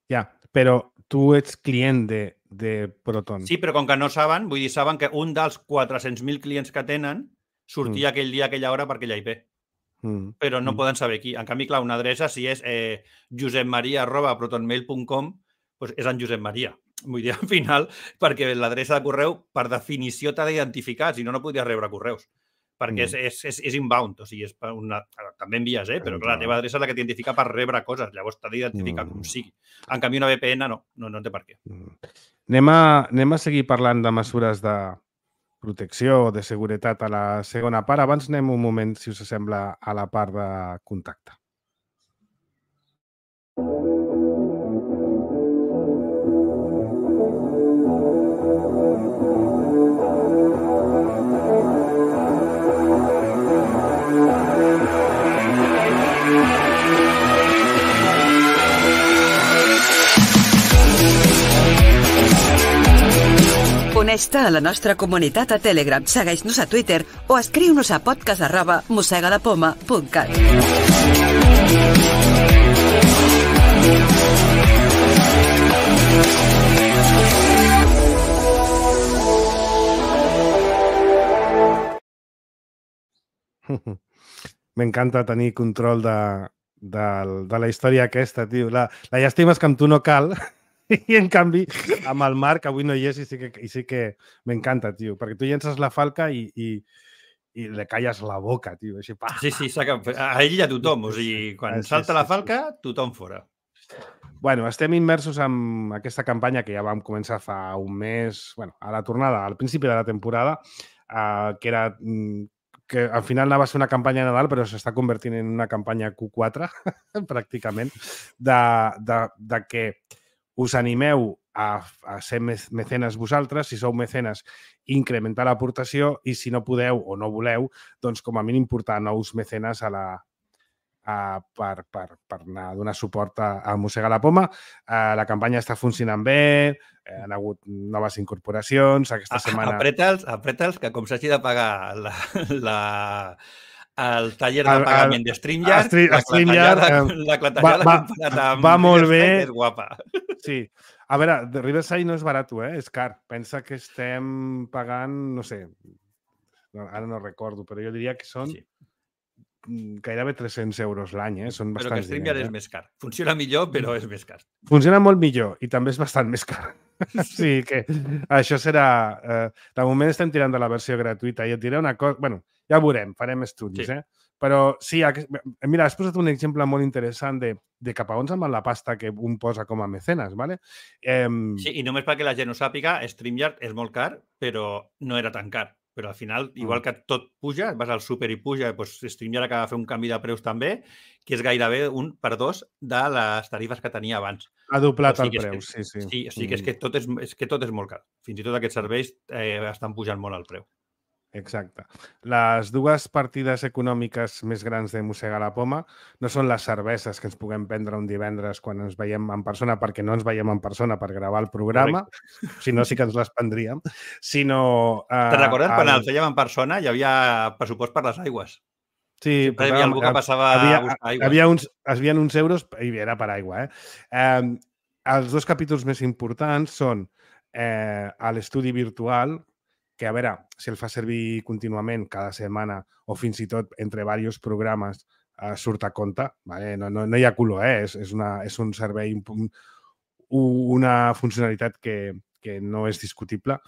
Ja, però tu ets client de, de Proton. Sí, però com que no saben, vull dir, saben que un dels quatre-cents mil clients que tenen sortia mm. aquell dia, aquella hora, per aquella I P. Mm. Però no mm. poden saber qui. En canvi, clar, una adreça, si és eh, josepmaria arroba protonmail punt com, doncs és en Josep Maria. Vull dir, al final, perquè l'adreça de correu, per definició, t'ha d'identificar, si no, no podries rebre correus. Perquè mm. és, és, és, és inbound, o sigui, és una... també envies, eh? Però clar, la teva adreça és la que t'identifica per rebre coses, llavors t'ha d'identificar mm. com sigui. En canvi, una V P N no, no, no té per què. Mm. Anem, a, anem a seguir parlant de mesures de protecció o de seguretat a la segona part. Abans anem un moment, si us sembla, a la part de contacte. Uneix-te a la nostra comunitat a Telegram, segueix-nos a Twitter o escriu-nos a podcast arroba mosegadapoma punt cat. M'encanta tenir control de, de, de la història aquesta, tio. La, la llàstima és que amb tu no cal... I, en canvi, amb el Marc, avui no hi és i sí que, i sí que m'encanta, tio, perquè tu llences la falca i, i, i le calles la boca, tio. Així, pa, sí, sí, a ell i a tothom. O sigui, quan sí, salta sí, la falca, tothom fora. Bueno, estem immersos en aquesta campanya que ja vam començar fa un mes, bueno, a la tornada, al principi de la temporada, eh, que era mm, que al final anava a ser una campanya de Nadal, però s'està convertint en una campanya Q quatre, pràcticament, de, de, de que us animeu a, a ser mecenes vosaltres, si sou mecenes, incrementar l'aportació i si no podeu o no voleu, doncs com a mínim portar nous mecenes a la, a, per, per, per anar a donar suport a, a Mossegar la Poma. Uh, la campanya està funcionant bé, eh, han hagut noves incorporacions, aquesta setmana... Apreta'ls, apreta'ls, que com s'hagi de pagar la, la, el taller de pagament de StreamYard, Stream, la clatellada, eh, la clatellada va, comparat amb va molt bé. és guapa. Sí. A veure, de Riverside no és barat, eh? És car. Pensa que estem pagant, no sé, ara no recordo, però jo diria que són sí. gairebé tres-cents euros l'any, eh? Són bastants diners. Però que StreamYard eh? és més car. Funciona millor, però és més car. Funciona molt millor i també és bastant més car. Sí, que això serà... Eh, de moment estem tirant de la versió gratuïta i et diré una cosa... Bueno, ja ho veurem, farem estudis, sí. eh? Però sí, mira, has posat un exemple molt interessant de, de cap a on se'n va la pasta que un posa com a mecenes, ¿vale? Eh... Sí, i només perquè la gent ho sàpiga, StreamYard és molt car, però no era tan car. Però al final, igual que tot puja, vas al súper i puja, doncs StreamYard acaba de fer un canvi de preus també, que és gairebé un per dos de les tarifes que tenia abans. Ha doblat o sigui el preu, que, sí, sí. Sí, o sigui que és que tot és, és, que tot és molt car. Fins i tot aquests serveis eh, estan pujant molt el preu. Exacte. Les dues partides econòmiques més grans de Mossegar la Poma no són les cerveses que ens puguem prendre un divendres quan ens veiem en persona, perquè no ens veiem en persona per gravar el programa, correcte. Si no sí que ens les prendríem, sinó... Eh, Te'n recordes el... quan el fèiem en persona hi havia pressupost per les aigües? Sí, sempre hi havia algú que passava havia, a buscar aigües. Havia uns, havia uns euros i era per aigua. Eh? Eh, els dos capítols més importants són eh, a l'estudi virtual, que, a veure, si el fa servir contínuament cada setmana o fins i tot entre diversos programes eh, surt a compte, vale? no, no, no hi ha color, eh? és, és, una, és un servei, un, una funcionalitat que, que no és discutible.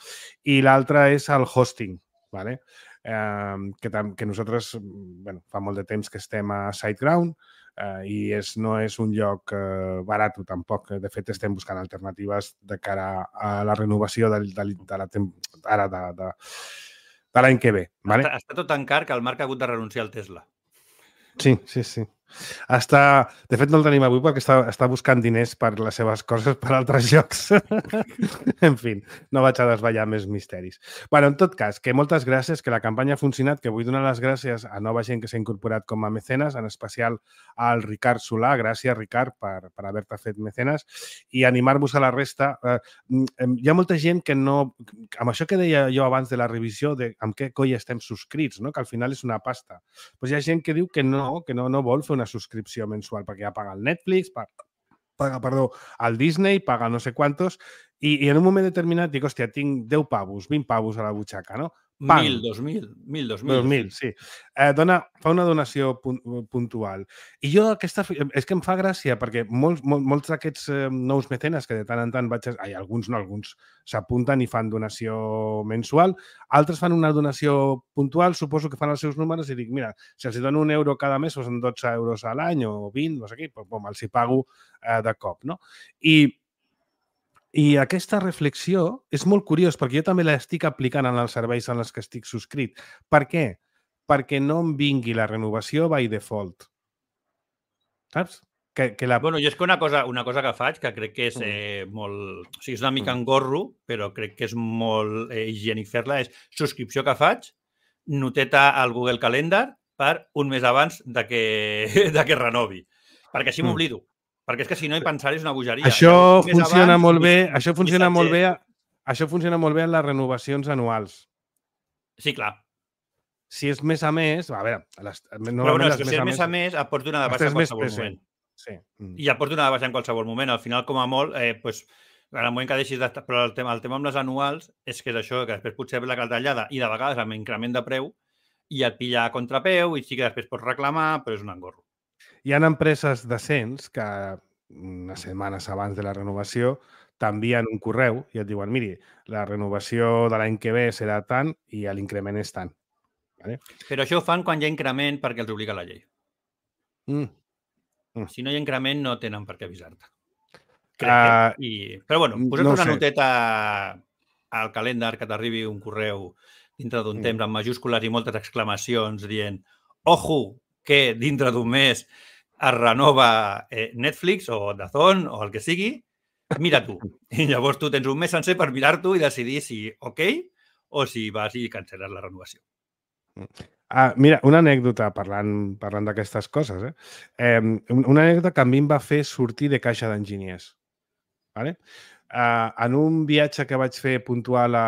I l'altra és el hosting, vale? eh, que, que nosaltres bueno, fa molt de temps que estem a SiteGround, Uh, i és, no és un lloc uh, barat tampoc. De fet, estem buscant alternatives de cara a la renovació de, de, de la ara de, de, de l'any que ve. Vale? Està, està tot tan car que el Marc ha hagut de renunciar al Tesla. Sí, sí, sí. Està... De fet, no el tenim avui perquè està, està buscant diners per les seves coses per altres jocs. En fi, no vaig a desvetllar més misteris. Bueno, en tot cas, que moltes gràcies, que la campanya ha funcionat, que vull donar les gràcies a nova gent que s'ha incorporat com a mecenes, en especial al Ricard Solà. Gràcies, Ricard, per, per haver-te fet mecenes. I animar-vos a la resta. Eh, hi ha molta gent que no... Amb això que deia jo abans de la revisió, de amb què coi estem subscrits, no? Que al final és una pasta. Pues hi ha gent que diu que no, que no, no vol fer una subscripció mensual perquè ja paga el Netflix, paga, paga perdó, el Disney, paga no sé quantos, i, i en un moment determinat dic, hòstia, tinc deu pavos, vint pavos a la butxaca, no? Pam. Mil, dos mil, mil, dos mil. Dos mil, sí. Eh, dona, fa una donació puntual. I jo aquesta... És que em fa gràcia perquè molts, molts, molts d'aquests eh, nous mecenes que de tant en tant vaig... Ai, alguns no, alguns s'apunten i fan donació mensual. Altres fan una donació puntual, suposo que fan els seus números i dic, mira, si els dono un euro cada mes, són dotze euros a l'any o vint, no sé què, doncs bom, els hi pago eh, de cop, no? I... I aquesta reflexió és molt curiós perquè jo també l'estic aplicant en els serveis en els que estic subscrit. Per què? Perquè no em vingui la renovació by default. Saps? Que, que la... Bueno, jo és que una cosa, una cosa que faig, que crec que és eh, molt... O sigui, és una mica engorro, però crec que és molt eh, higiènic fer-la, és subscripció que faig, noteta al Google Calendar per un mes abans de que, de que renovi. Perquè així m'oblido. Perquè és que si no hi pensaré és una bogeria. Això funciona abans, molt bé, això funciona molt bé, això funciona molt bé en les renovacions anuals. Sí, clar. Si és mes a mes, a veure... Les, no, però bueno, és que si és mes a mes et pots donar de baixa en qualsevol moment. Sí. I et pots donar de baixa en qualsevol moment. Al final, com a molt, eh, pues, en el moment que deixis de... Però el tema, el tema amb les anuals és que és això, que després potser ve la clatellada i de vegades amb increment de preu i et pilla a contrapeu i sí que després pots reclamar, però és un engorro. Hi ha empreses decents que unes setmanes abans de la renovació t'envien un correu i et diuen, miri, la renovació de l'any que ve serà tant i l'increment és tant. Vale? Però això ho fan quan hi ha increment perquè els obliga la llei. Mm. Mm. Si no hi ha increment no tenen per què avisar-te. Crec uh, que... I... Però bueno, posa't no una sé. noteta al calendar que t'arribi un correu dintre d'un temps, amb majúscules i moltes exclamacions, dient ojo, que dintre d'un mes es renova eh, Netflix o Dazón o el que sigui, mira tu. I llavors tu tens un mes sencer per mirar-t'ho i decidir si ok o si vas i cancel·les la renovació. Ah, mira, una anècdota parlant, parlant d'aquestes coses. Eh? Eh, una anècdota que a mi em va fer sortir de caixa d'enginyers. Vale? Uh, en un viatge que vaig fer puntual a,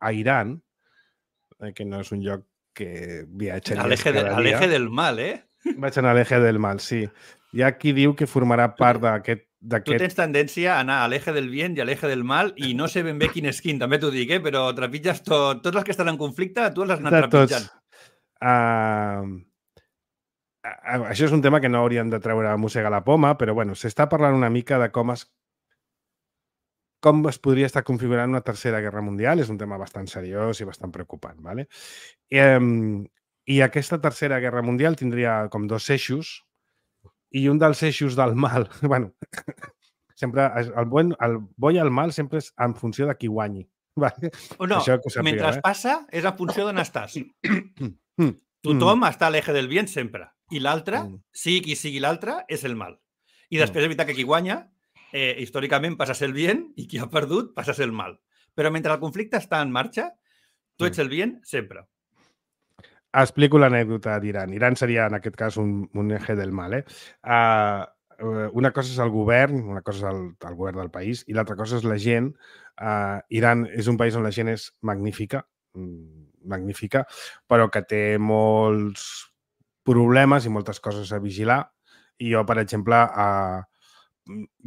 a Iran, eh, que no és un lloc que viatjaries cada dia. A l'eje del mal, eh? Vaig anar a l'eje del mal, sí. Hi ha qui diu que formarà part d'aquest... Tu tens tendència a anar a l'eje del bien i a l'eje del mal i no sé ben bé quin és quin, també t'ho dic, eh? Però trepitges tot. Tots els que estan en conflicte, tu els has anat trepitjant. Uh, uh, això és un tema que no hauríem de treure a mossegar la poma, però bueno, s'està parlant una mica de com es com es podria estar configurant una tercera guerra mundial. És un tema bastant seriós i bastant preocupant. ¿Vale? I, um, I aquesta tercera guerra mundial tindria com dos eixos i un dels eixos del mal, bueno, sempre el bo, el bo i el mal sempre és en funció de qui guanyi. Vale? O no, sapigueu, mentre eh? passa és en funció d'on estàs. Tothom mm. està a l'eje del bien sempre i l'altre, mm. sigui qui sigui l'altre, és el mal. I després és veritat que qui guanya Eh, històricament passa a ser el bien i qui ha perdut passa a ser el mal. Però mentre el conflicte està en marxa, tu ets el bien sempre. Explico l'anècdota d'Iran. Iran seria, en aquest cas, un, un eje del mal. Eh? Uh, una cosa és el govern, una cosa és el, el govern del país i l'altra cosa és la gent. Uh, Iran és un país on la gent és magnífica, magnífica, però que té molts problemes i moltes coses a vigilar. I jo, per exemple, uh,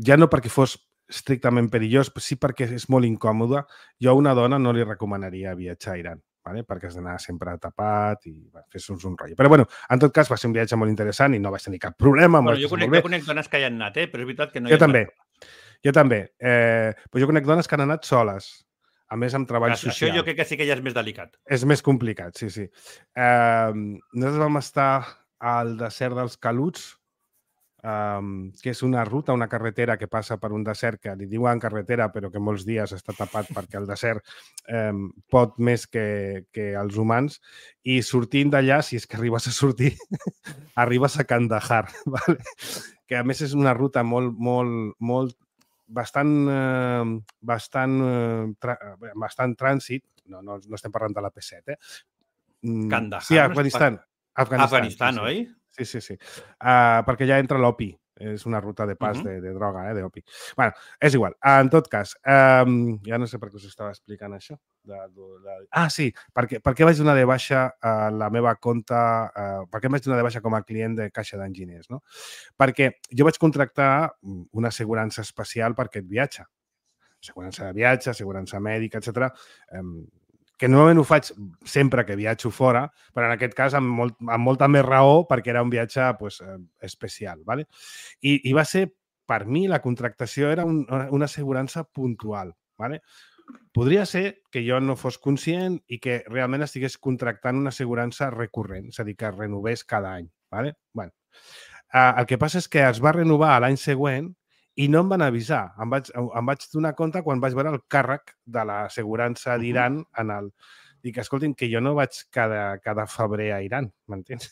ja no perquè fos estrictament perillós, però sí perquè és molt incòmode. Jo a una dona no li recomanaria viatjar a Iran, ¿vale? Perquè has d'anar sempre tapat i bueno, fer-nos un rotllo. Però bueno, en tot cas va ser un viatge molt interessant i no vaig tenir cap problema. Bueno, jo conec, jo conec dones que hi han anat, eh? Però és veritat que no hi jo ha també. anat. Jo també. Eh, però jo conec dones que han anat soles, a més amb treball això social. Això jo crec que sí que ja és més delicat. És més complicat, sí, sí. Eh, nosaltres vam estar al desert dels Caluts, Um, que és una ruta, una carretera que passa per un desert que li diuen carretera però que molts dies està tapat perquè el desert um, pot més que, que els humans i sortint d'allà, si és que arribes a sortir, arribes a Kandahar, ¿vale? Que a més és una ruta molt, molt, molt bastant, eh, bastant, eh, tra bastant trànsit, no, no, no estem parlant de la P set, eh? Kandahar? Sí, Afganistan. Afganistan, Afganistan sí, oi? Sí, sí, sí. Uh, perquè ja entra l'opi. És una ruta de pas uh -huh. de, de droga, eh, d'opi. Bueno, és igual. Uh, en tot cas, um, ja no sé per què us estava explicant això. De, de, de... Ah, sí, perquè, per què vaig donar de baixa uh, la meva compta, uh, per què vaig donar de baixa com a client de caixa d'enginyers, no? Perquè jo vaig contractar una assegurança especial per aquest viatge. Assegurança de viatge, assegurança mèdica, etcètera. Um, que normalment ho faig sempre que viatjo fora, però en aquest cas amb, molt, amb molta més raó perquè era un viatge pues, eh, especial. ¿Vale? I, I va ser, per mi, la contractació era un, una assegurança puntual. ¿Vale? Podria ser que jo no fos conscient i que realment estigués contractant una assegurança recurrent, és a dir, que es renovés cada any. ¿Vale? Bueno, eh, el que passa és que es va renovar l'any següent i no em van avisar. Em vaig, em vaig donar compte quan vaig veure el càrrec de l'assegurança d'Iran en el... Dic, escoltin, que jo no vaig cada, cada febrer a Iran, m'entens?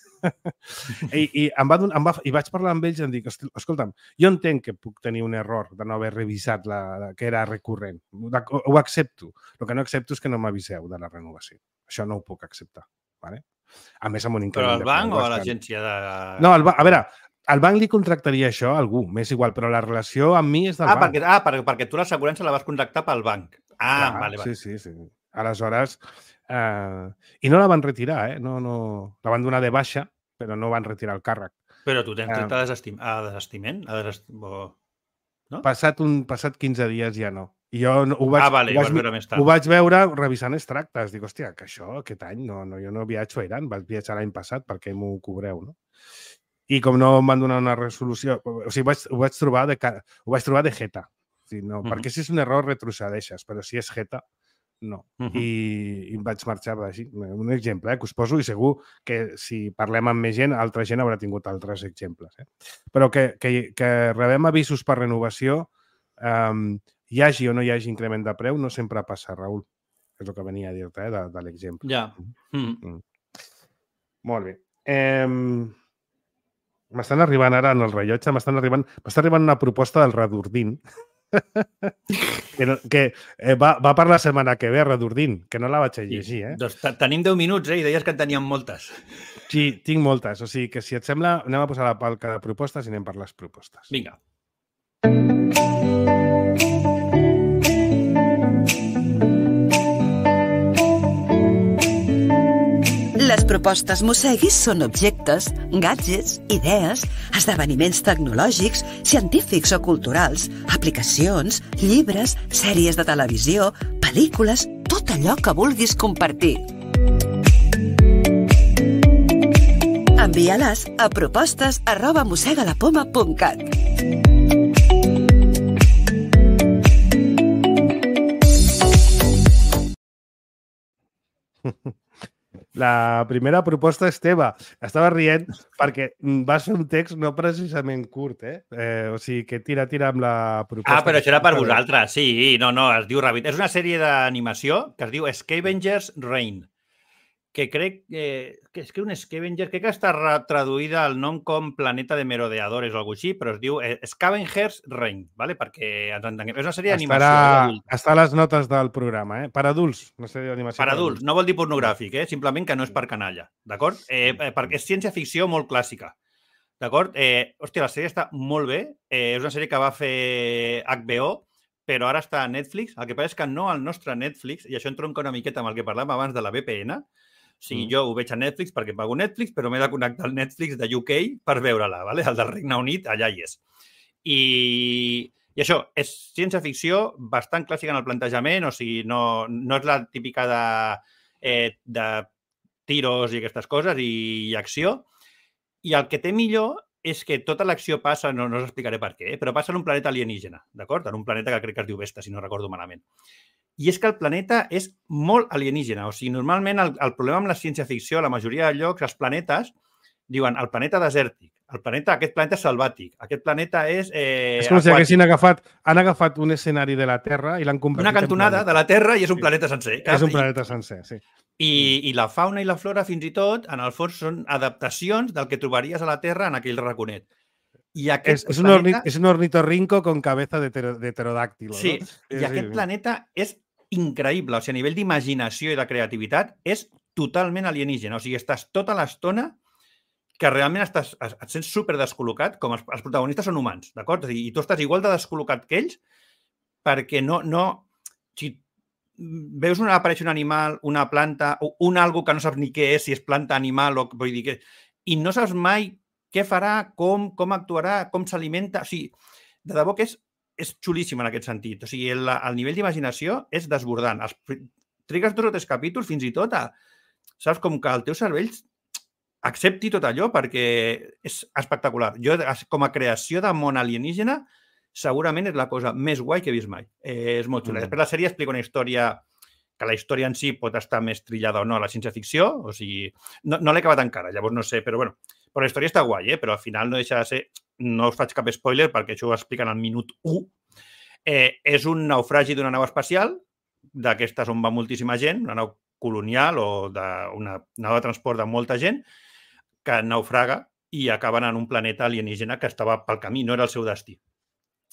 I, i, em va, em va, I vaig parlar amb ells i em dic, escolta'm, jo entenc que puc tenir un error de no haver revisat la, la, que era recurrent. Ho, ho accepto. El que no accepto és que no m'aviseu de la renovació. Això no ho puc acceptar. ¿Vale? A més, amb un increment... Però al banc o a l'agència de... No, al, a veure... El banc li contractaria això a algú, m'és igual, però la relació amb mi és del ah, banc. Perquè, ah, perquè, perquè tu l'assegurança la vas contractar pel banc. Ah, Clar, vale, vale. Sí, sí, sí. Aleshores, eh, i no la van retirar, eh? No, no, la van donar de baixa, però no van retirar el càrrec. Però tu tens dret a, desestim a desestiment? A desestim... No? Passat, un, passat quinze dies ja no. I jo no, ho, vaig, ah, vale, ho, vaig, veure més tard. ho vaig veure revisant extractes. Dic, hòstia, que això aquest any no, no, jo no viatjo a Iran, vaig viatjar l'any passat, per què m'ho cobreu, no? I com no em van donar una resolució... O sigui, vaig, ho, vaig trobar de, ho vaig trobar de jeta. O sigui, no, uh -huh. Perquè si és un error retrocedeixes, però si és jeta, no. Uh -huh. I, I em vaig marxar així. Un exemple eh, que us poso i segur que si parlem amb més gent, altra gent haurà tingut altres exemples. Eh? Però que, que, que rebem avisos per renovació, um, hi hagi o no hi hagi increment de preu, no sempre passa, Raül. és el que venia a dir-te, eh, de, de l'exemple. Ja. Mm. Mm. Molt bé. Eh, m'estan arribant ara en el rellotge, m'estan arribant, m'està arribant una proposta del Redordín que, no, que eh, va, va per la setmana que ve, Redordín, que no la vaig a llegir, eh? Doncs tenim deu minuts, eh? I deies que en teníem moltes. Sí, tinc moltes. O sigui que, si et sembla, anem a posar la palca de propostes i anem per les propostes. Vinga. Les propostes Mosseguis són objectes, gadgets, idees, esdeveniments tecnològics, científics o culturals, aplicacions, llibres, sèries de televisió, pel·lícules, tot allò que vulguis compartir. Envia-les a propostes arroba mossegalapoma punt cat. La primera proposta és teva. Estava rient perquè vas fer un text no precisament curt, eh? eh o sigui, que tira, tira amb la proposta. Ah, però això era per vosaltres. Sí, no, no, es diu Rabbit. És una sèrie d'animació que es diu Scavengers Reign, que crec eh, que és que un Scavenger, crec que està traduïda al nom com Planeta de Merodeadores o alguna cosa així, però es diu eh, Scavengers Reign, ¿vale? Perquè ens entenguem. És una sèrie d'animació. Estarà... Està a les notes del programa, eh? Per adults, una sèrie d'animació. Per adults, no vol dir pornogràfic, eh? Simplement que no és per canalla, d'acord? Eh, perquè és ciència-ficció molt clàssica, d'acord? Eh, hòstia, la sèrie està molt bé. Eh, és una sèrie que va fer H B O, però ara està a Netflix. El que passa és que no al nostre Netflix, i això entronca una miqueta amb el que parlàvem abans de la V P N. O sigui, mm. jo ho veig a Netflix perquè pago Netflix, però m'he de connectar al Netflix de U K per veure-la, ¿vale? El del Regne Unit, allà hi és. I, i això, és ciència-ficció bastant clàssica en el plantejament, o sigui, no, no és la típica de, eh, de tiros i aquestes coses i, i acció. I el que té millor és que tota l'acció passa, no, no us explicaré per què, però passa en un planeta alienígena, d'acord? En un planeta que crec que es diu Vesta, si no recordo malament. I és que el planeta és molt alienígena. O sigui, normalment el, el problema amb la ciència-ficció, la majoria de llocs, els planetes, diuen el planeta desèrtic, el planeta, aquest planeta és selvàtic, aquest planeta és... Eh, és com si haguessin agafat, han agafat un escenari de la Terra i l'han convertit una cantonada de la Terra i és un sí. planeta sencer. És un planeta sencer, sí. I, I la fauna i la flora, fins i tot, en el fons són adaptacions del que trobaries a la Terra en aquell raconet. I aquest és, és, planeta... un orni, és un ornitorrinco con cabeza de, ter, de pterodàctilo. Sí, no? i sí, aquest sí. planeta és increïble. O sigui, a nivell d'imaginació i de creativitat és totalment alienígena. O sigui, estàs tota l'estona que realment estàs, et sents super descol·locat, com els, els protagonistes són humans, d'acord? I tu estàs igual de descol·locat que ells perquè no... no si veus una, apareix un animal, una planta, o un algo que no saps ni què és, si és planta, animal, o vull dir que... I no saps mai què farà, com, com actuarà, com s'alimenta... O sigui, de debò que és és xulíssim en aquest sentit. O sigui, el, el nivell d'imaginació és desbordant. Els, trigues dos o tres capítols fins i tot a... Saps? Com que el teu cervell accepti tot allò perquè és espectacular. Jo, com a creació de món alienígena, segurament és la cosa més guai que he vist mai. Eh, és molt xula. Mm. Després la sèrie explica una història que la història en si pot estar més trillada o no a la ciència-ficció. O sigui, no, no l'he acabat encara, llavors no sé, però bueno, però la història està guai, eh? Però al final no deixa de ser... No us faig cap spoiler perquè això ho expliquen al minut u. Eh, és un naufragi d'una nau espacial, d'aquestes on va moltíssima gent, una nau colonial o de, una nau de transport de molta gent, que naufraga i acaben en un planeta alienígena que estava pel camí, no era el seu destí.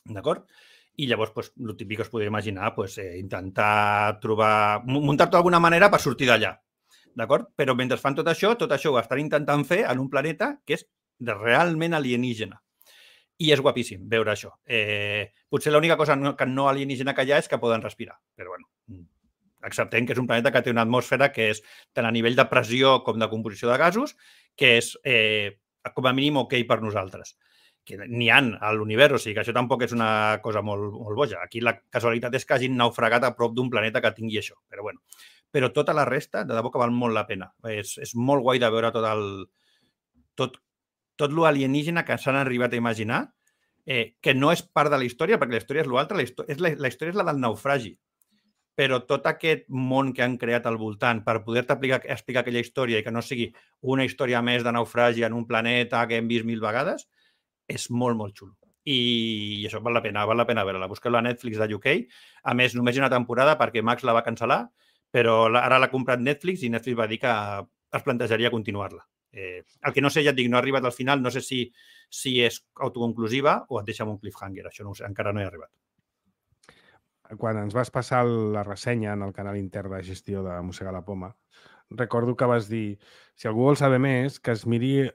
D'acord? I llavors, pues, el típic que us podria imaginar, pues, eh, intentar trobar... muntar-te d'alguna manera per sortir d'allà. D'acord? Però mentre fan tot això, tot això ho estan intentant fer en un planeta que és realment alienígena. I és guapíssim veure això. Eh, potser l'única cosa no, que no alienígena que hi ha és que poden respirar. Però, bueno, acceptem que és un planeta que té una atmosfera que és tant a nivell de pressió com de composició de gasos, que és, eh, com a mínim, ok per nosaltres. Que n'hi ha a l'univers, o sigui que això tampoc és una cosa molt, molt boja. Aquí la casualitat és que hagin naufragat a prop d'un planeta que tingui això. Però, bueno, però tota la resta, de debò que val molt la pena. És, és molt guai de veure tot el... tot tot lo alienígena que s'han arribat a imaginar, eh, que no és part de la història, perquè la història és l'altre, la, història, és la, la història és la del naufragi. Però tot aquest món que han creat al voltant per poder-te explicar, explicar aquella història i que no sigui una història més de naufragi en un planeta que hem vist mil vegades, és molt, molt xulo. I, i això val la pena, val la pena veure-la. Busqueu-la a Netflix de U K. A més, només hi ha una temporada perquè Max la va cancel·lar, però ara l'ha comprat Netflix i Netflix va dir que es plantejaria continuar-la. Eh, el que no sé, ja et dic, no ha arribat al final, no sé si, si és autoconclusiva o et deixa amb un cliffhanger, això no ho sé, encara no he arribat. Quan ens vas passar la ressenya en el canal intern de gestió de Mossegar la Poma, recordo que vas dir, si algú vol saber més, que es miri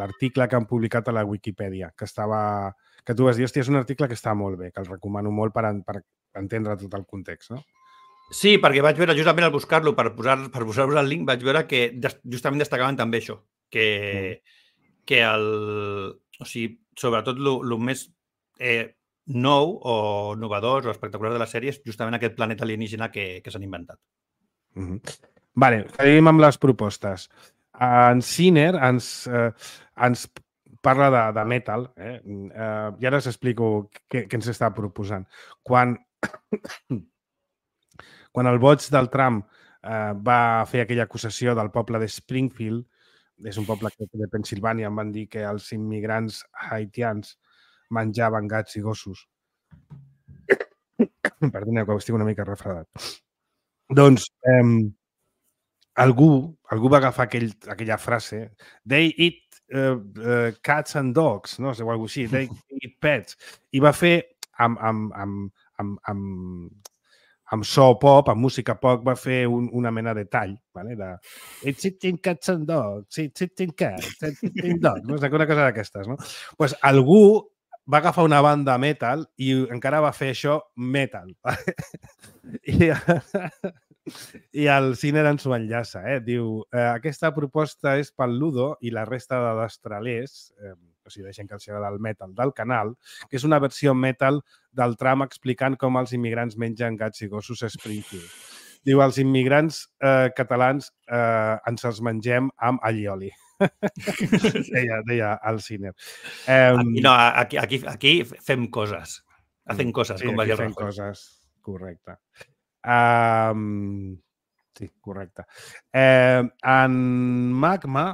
l'article que han publicat a la Wikipedia, que estava, que tu vas dir, hòstia, és un article que està molt bé, que el recomano molt per, per entendre tot el context, no? Sí, perquè vaig veure, justament al buscar-lo, per posar-vos per posar el link, vaig veure que justament destacaven també això, que, mm. que el... O sigui, sobretot el més eh, nou o innovador o espectacular de la sèrie és justament aquest planeta alienígena que, que s'han inventat. Mm-hmm. Vale, seguim amb les propostes. En Sinner ens, eh, ens parla de, de metal, eh? Eh, i ara us explico què, què ens està proposant. Quan, quan el boig del Trump eh, va fer aquella acusació del poble de Springfield, és un poble de Pennsilvània, em van dir que els immigrants haitians menjaven gats i gossos. Perdoneu, que estic una mica refredat. Doncs eh, algú, algú va agafar aquell, aquella frase, they eat uh, uh, cats and dogs, no sé, o alguna cosa així, they eat pets, i va fer amb, amb, amb, amb, amb, amb so pop, amb música pop, va fer un, una mena de tall, ¿vale? De it's eating cats and dogs, it's eating cats, it's eating dogs, no? Una cosa d'aquestes, no? Doncs pues algú va agafar una banda metal i encara va fer això metal. I, i el Sinner ens ho enllaça, eh? Diu, eh, aquesta proposta és pel Ludo i la resta de destralers, eh, o sigui, deixen que els agrada el metal del canal, que és una versió metal del tram explicant com els immigrants mengen gats i gossos a Springfield. Diu, els immigrants eh, catalans eh, ens els mengem amb allioli. deia, deia el Sinner. Eh, aquí, no, aquí, aquí, aquí fem coses. Hacen coses, sí, com va dir el Rajoy. Rajoy. Coses, correcte. Um, sí, correcte. Eh, en Magma,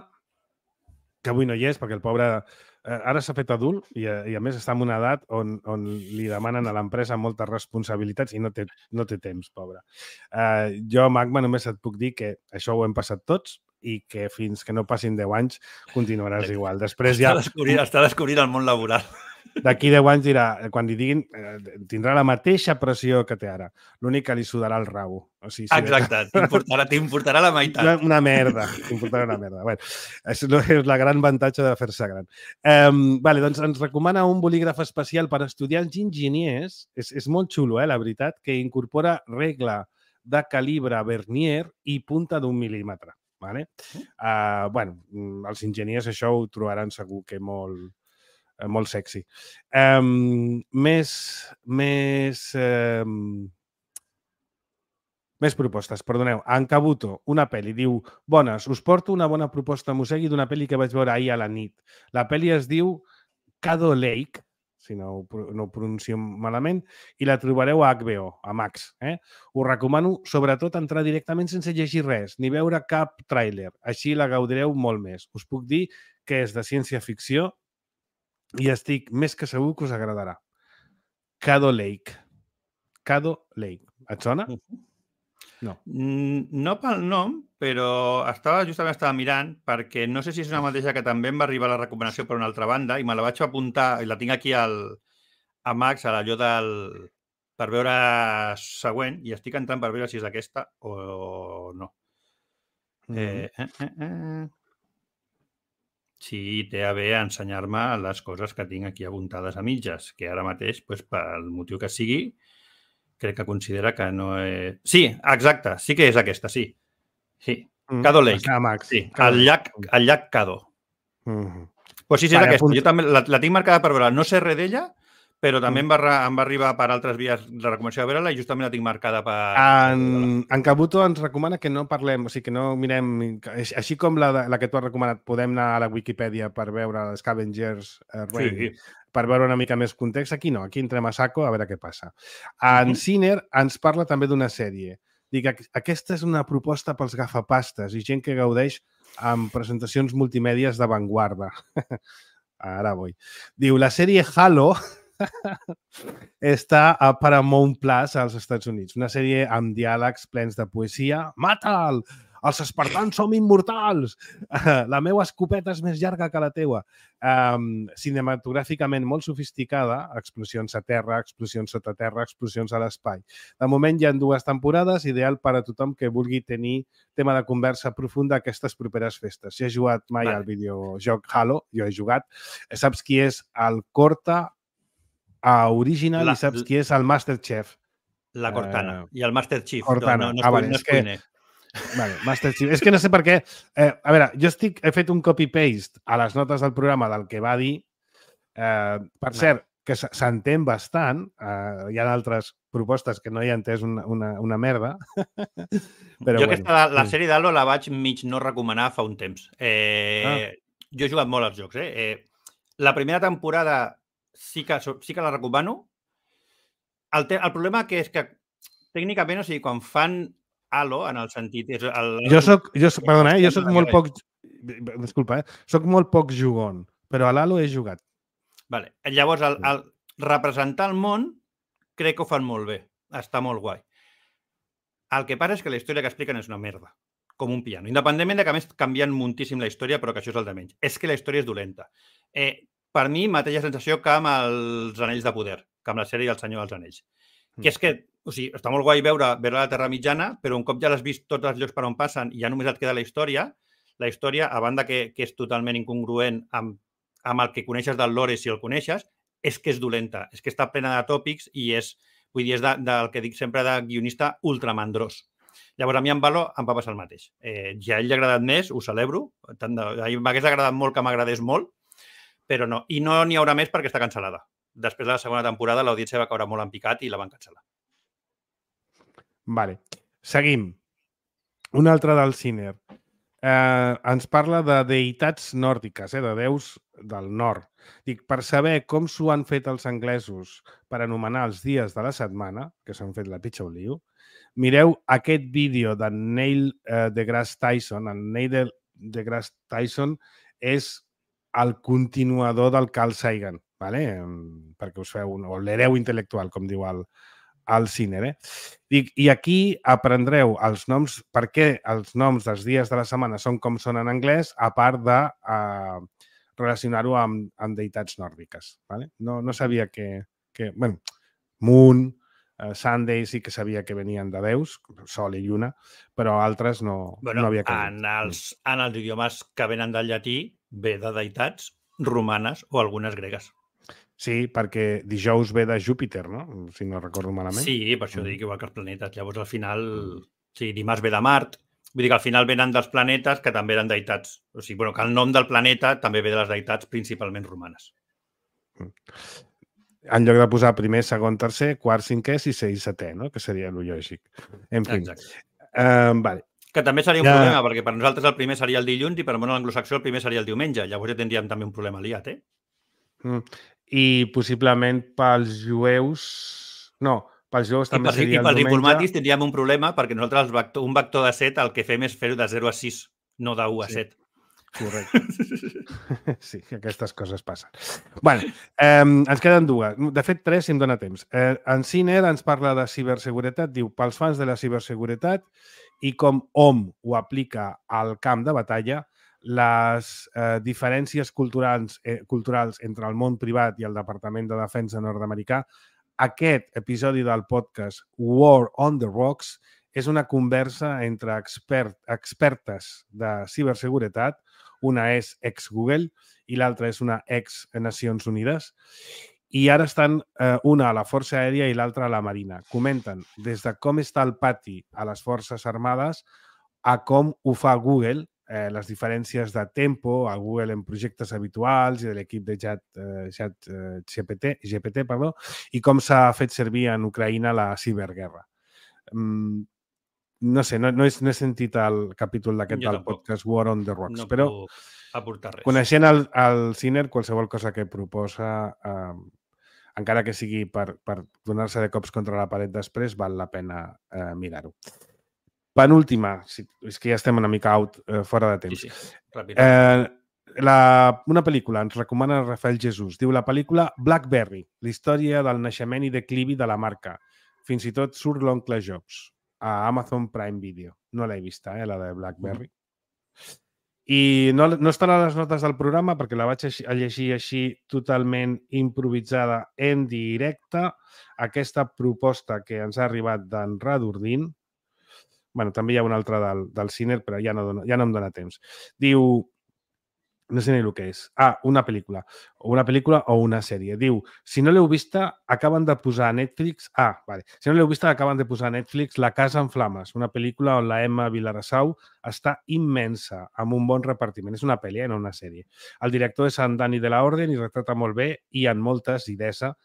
que avui no hi és, perquè el pobre eh, ara s'ha fet adult i, i a més està en una edat on, on li demanen a l'empresa moltes responsabilitats i no té, no té temps, pobre. Eh, jo, Magma, només et puc dir que això ho hem passat tots i que fins que no passin deu anys continuaràs igual. Després ja... Està descobrint, està descobrint el món laboral. D'aquí deu anys dirà, quan li diguin, eh, tindrà la mateixa pressió que té ara. L'únic que li sudarà el rabo. O sigui, si exacte, t'importarà, t'importarà la meitat. Una, una merda, t'importarà una merda. Bueno, és, és la gran avantatge de fer-se gran. Um, vale, doncs ens recomana un bolígraf especial per estudiants i enginyers. És, és molt xulo, eh, la veritat, que incorpora regla de calibre vernier i punta d'un mil·límetre. Vale? Uh, bueno, els enginyers això ho trobaran segur que molt... molt sexy. Um, més més um, més propostes, perdoneu. En Kabuto, una pel·li, diu, bones, us porto una bona proposta Mosegui d'una pel·li que vaig veure ahir a la nit. La pel·li es diu Caddo Lake, si no, no ho pronuncio malament, i la trobareu a H B O, a Max. Eh? Us recomano, sobretot, entrar directament sense llegir res, ni veure cap tràiler. Així la gaudireu molt més. Us puc dir que és de ciència-ficció i estic més que segur que us agradarà. Caddo Lake. Caddo Lake. Et sona? No. No pel nom, però estava justament estava mirant perquè no sé si és una mateixa que també em va arribar la recomanació per una altra banda i me la vaig apuntar i la tinc aquí al, a Max, a l'allò del... per veure següent i estic entrant per veure si és aquesta o no. Mm. Eh, eh, eh, eh. Sí, té a bé ensenyar-me les coses que tinc aquí apuntades a mitges, que ara mateix, doncs, pel motiu que sigui, crec que considera que no és... Sí, exacte, sí que és aquesta, sí. Sí, mm, Caddo Lake. Max. Sí, el llac, el llac Caddo. Mm -hmm. Pues sí, sí, és vale, aquesta. Apunt... Jo també la, la tinc marcada per veure. No sé res d'ella, però també mm. em, va, em va arribar per altres vies la recomanació de veure-la i justament la tinc marcada per... En, en Kabuto ens recomana que no parlem, o sigui, que no mirem... Així com la, la que tu has recomanat, podem anar a la Wikipedia per veure Scavengers uh, Rain, sí. per veure una mica més context. Aquí no, aquí entrem a saco a veure què passa. En mm -hmm. Sinner ens parla també d'una sèrie. Dic, aquesta és una proposta pels gafapastes i gent que gaudeix amb presentacions multimèdies d'avantguarda. Ara vull. Diu, la sèrie Halo... està a Paramount Plus als Estats Units. Una sèrie amb diàlegs plens de poesia. Mata'l! Els espartans som immortals! La meva escopeta és més llarga que la teua. Um, cinematogràficament molt sofisticada, explosions a terra, explosions sota terra, explosions a l'espai. De moment hi ha dues temporades, ideal per a tothom que vulgui tenir tema de conversa profunda aquestes properes festes. Si has jugat mai vale. al videojoc Halo, jo he jugat, saps qui és el Corta a Original la, i saps qui és el Master Chief. La Cortana uh, i el Master Chief. Cortana. No, no, no, ah, vale, no és que... Vale, Master Chief. És que no sé per què. Eh, a veure, jo estic, he fet un copy-paste a les notes del programa del que va dir. Eh, per cert, que s'entén bastant. Eh, hi ha altres propostes que no hi ha entès una, una, una merda. Però, jo bueno, aquesta, la, la sèrie d'Halo la vaig mig no recomanar fa un temps. Eh, ah. Jo he jugat molt als jocs. Eh? Eh, la primera temporada sí que, sí que la recomano. El, te, el problema que és que tècnicament, o sigui, quan fan Halo, en el sentit... És el... Jo soc, jo soc, perdona, eh? jo soc molt poc... Disculpa, eh? Soc molt poc jugon, però a l'Halo he jugat. Vale. Llavors, el, el representar el món crec que ho fan molt bé. Està molt guai. El que passa és que la història que expliquen és una merda, com un piano. Independentment de que, a més, canvien moltíssim la història, però que això és el de menys. És que la història és dolenta. Eh, per mi, mateixa sensació que amb els Anells de Poder, que amb la sèrie El Senyor dels Anells. Mm. Que és que o sigui, està molt guai veure, veure la Terra Mitjana, però un cop ja l'has vist tots els llocs per on passen i ja només et queda la història, la història, a banda que, que és totalment incongruent amb, amb el que coneixes del lore, si el coneixes, és que és dolenta, és que està plena de tòpics i és, vull dir, és de, del que dic sempre de guionista ultramandrós. Llavors, a mi en Halo em va passar el mateix. Eh, ja a ell li ha agradat més, ho celebro, m'hagués agradat molt que m'agradés molt, però no. I no n'hi haurà més perquè està cancel·lada. Després de la segona temporada, l'audiència va caure molt en picat i la van cancel·lar. Vale. Seguim. Un altre del Ciner. Eh, ens parla de deïtats nòrdiques, eh, de déus del nord. Dic, per saber com s'ho han fet els anglesos per anomenar els dies de la setmana, que s'han fet la pitxa un lío, mireu aquest vídeo de Neil eh, deGrasse Tyson. El Neil deGrasse Tyson és el continuador del Carl Sagan, vale? Perquè us feu un, o l'hereu intel·lectual, com diu el al Ciner, eh? Dic, i aquí aprendreu els noms, per què els noms dels dies de la setmana són com són en anglès, a part de uh, relacionar-ho amb, amb deïtats nòrdiques. Vale? No, no sabia que... que bueno, Moon, uh, Sunday sí que sabia que venien de déus, Sol i Lluna, però altres no, bueno, no havia canviat. En els, en els idiomes que venen del llatí ve de deïtats romanes o algunes gregues. Sí, perquè dijous ve de Júpiter, no? Si no recordo malament. Sí, per això mm. dic igual que els planetes. Llavors, al final, mm. sí, dimarts ve de Mart. Vull dir que al final venen dels planetes que també eren deïtats. O sigui, bueno, que el nom del planeta també ve de les deïtats principalment romanes. Mm. En lloc de posar primer, segon, tercer, quart, cinquè, sisè i setè, no? Que seria el lògic. En fi. Exacte. Um, vale. Que també seria un ja... problema, perquè per nosaltres el primer seria el dilluns i per al món anglosaxó el primer seria el diumenge. Llavors ja tindríem també un problema liat, eh? Mm. I possiblement pels jueus... No, pels jueus també per, seria el diumenge. I pels informàtics tindríem un problema perquè nosaltres vector, un vector de set el que fem és fer-ho de zero a sis, no de u a set. Sí. Correcte. Sí, aquestes coses passen. Bueno, eh, ens queden dues. De fet, tres, si em dóna temps. Eh, en Ciner ens parla de ciberseguretat. Diu, pels fans de la ciberseguretat i com O M ho aplica al camp de batalla, les eh, diferències culturals, eh, culturals entre el món privat i el Departament de Defensa nord-americà, aquest episodi del podcast War on the Rocks és una conversa entre expert, expertes de ciberseguretat, una és ex-Google i l'altra és una ex-Nacions Unides, i ara estan eh, una a la Força Aèria i l'altra a la Marina. Comenten des de com està el pati a les Forces Armades a com ho fa Google, eh, les diferències de tempo a Google en projectes habituals i de l'equip de Chat, eh, Chat eh, G P T, G P T, perdó, i com s'ha fet servir en Ucraïna la ciberguerra. Mm, no sé, no, no, he, no he sentit el capítol d'aquest del podcast War on the Rocks, no però aportar res. Coneixent el, el Ciner, qualsevol cosa que proposa, eh, encara que sigui per, per donar-se de cops contra la paret després, val la pena eh, mirar-ho. Penúltima, si, és que ja estem una mica out, eh, fora de temps. Sí, sí. Eh, La, una pel·lícula, ens recomana Rafael Jesús. Diu la pel·lícula Blackberry, la història del naixement i declivi de la marca. Fins i tot surt l'oncle Jobs a Amazon Prime Video. No l'he vista, eh, la de Blackberry. I no, no estarà a les notes del programa perquè la vaig a llegir així totalment improvisada en directe. Aquesta proposta que ens ha arribat d'en Radordin, bueno, també hi ha una altra del, del Ciner, però ja no, dona, ja no em dona temps. Diu, no sé ni el que és. Ah, una pel·lícula. O una pel·lícula o una sèrie. Diu, si no l'heu vista, acaben de posar a Netflix... Ah, vale. Si no l'heu vista, acaben de posar a Netflix La casa en flames, una pel·lícula on la Emma Vilarassau està immensa, amb un bon repartiment. És una pel·li, eh, no una sèrie. El director és en Dani de la Orden i retrata molt bé i en moltes idesa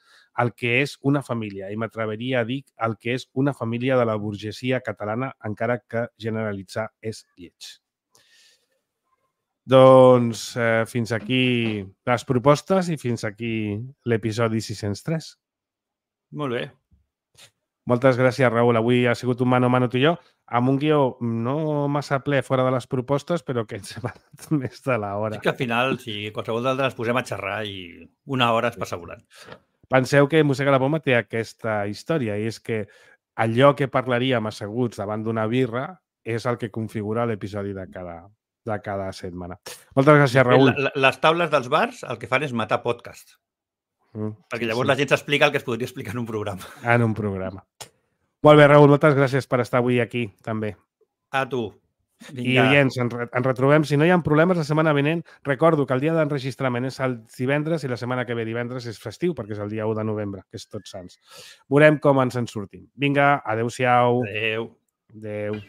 el que és una família. I m'atreveria a dir el que és una família de la burgesia catalana, encara que generalitzar és lleig. Doncs eh, fins aquí les propostes i fins aquí l'episodi sis-cents tres. Molt bé. Moltes gràcies, Raül. Avui ha sigut un mano a mano tu i jo, amb un guió no massa ple fora de les propostes, però que ens hem anat més de l'hora. És que al final, si qualsevol d'altres ens posem a xerrar i una hora es passa volant. Penseu que Mossega la Poma té aquesta història i és que allò que parlaríem asseguts davant d'una birra és el que configura l'episodi de cada de cada setmana. Moltes gràcies, Raül. Les taules dels bars el que fan és matar podcast. Mm, perquè llavors sí, la gent s'explica el que es podria explicar en un programa. En un programa. Molt bé, Raül, moltes gràcies per estar avui aquí, també. A tu. Vinga. I, oients, ens, ens retrobem. Si no hi ha problemes, la setmana vinent, recordo que el dia d'enregistrament és el divendres i la setmana que ve divendres és festiu, perquè és el dia u de novembre, que és Tots Sants. Veurem com ens en sortim. Vinga, adeu-siau. Adeu. Adeu.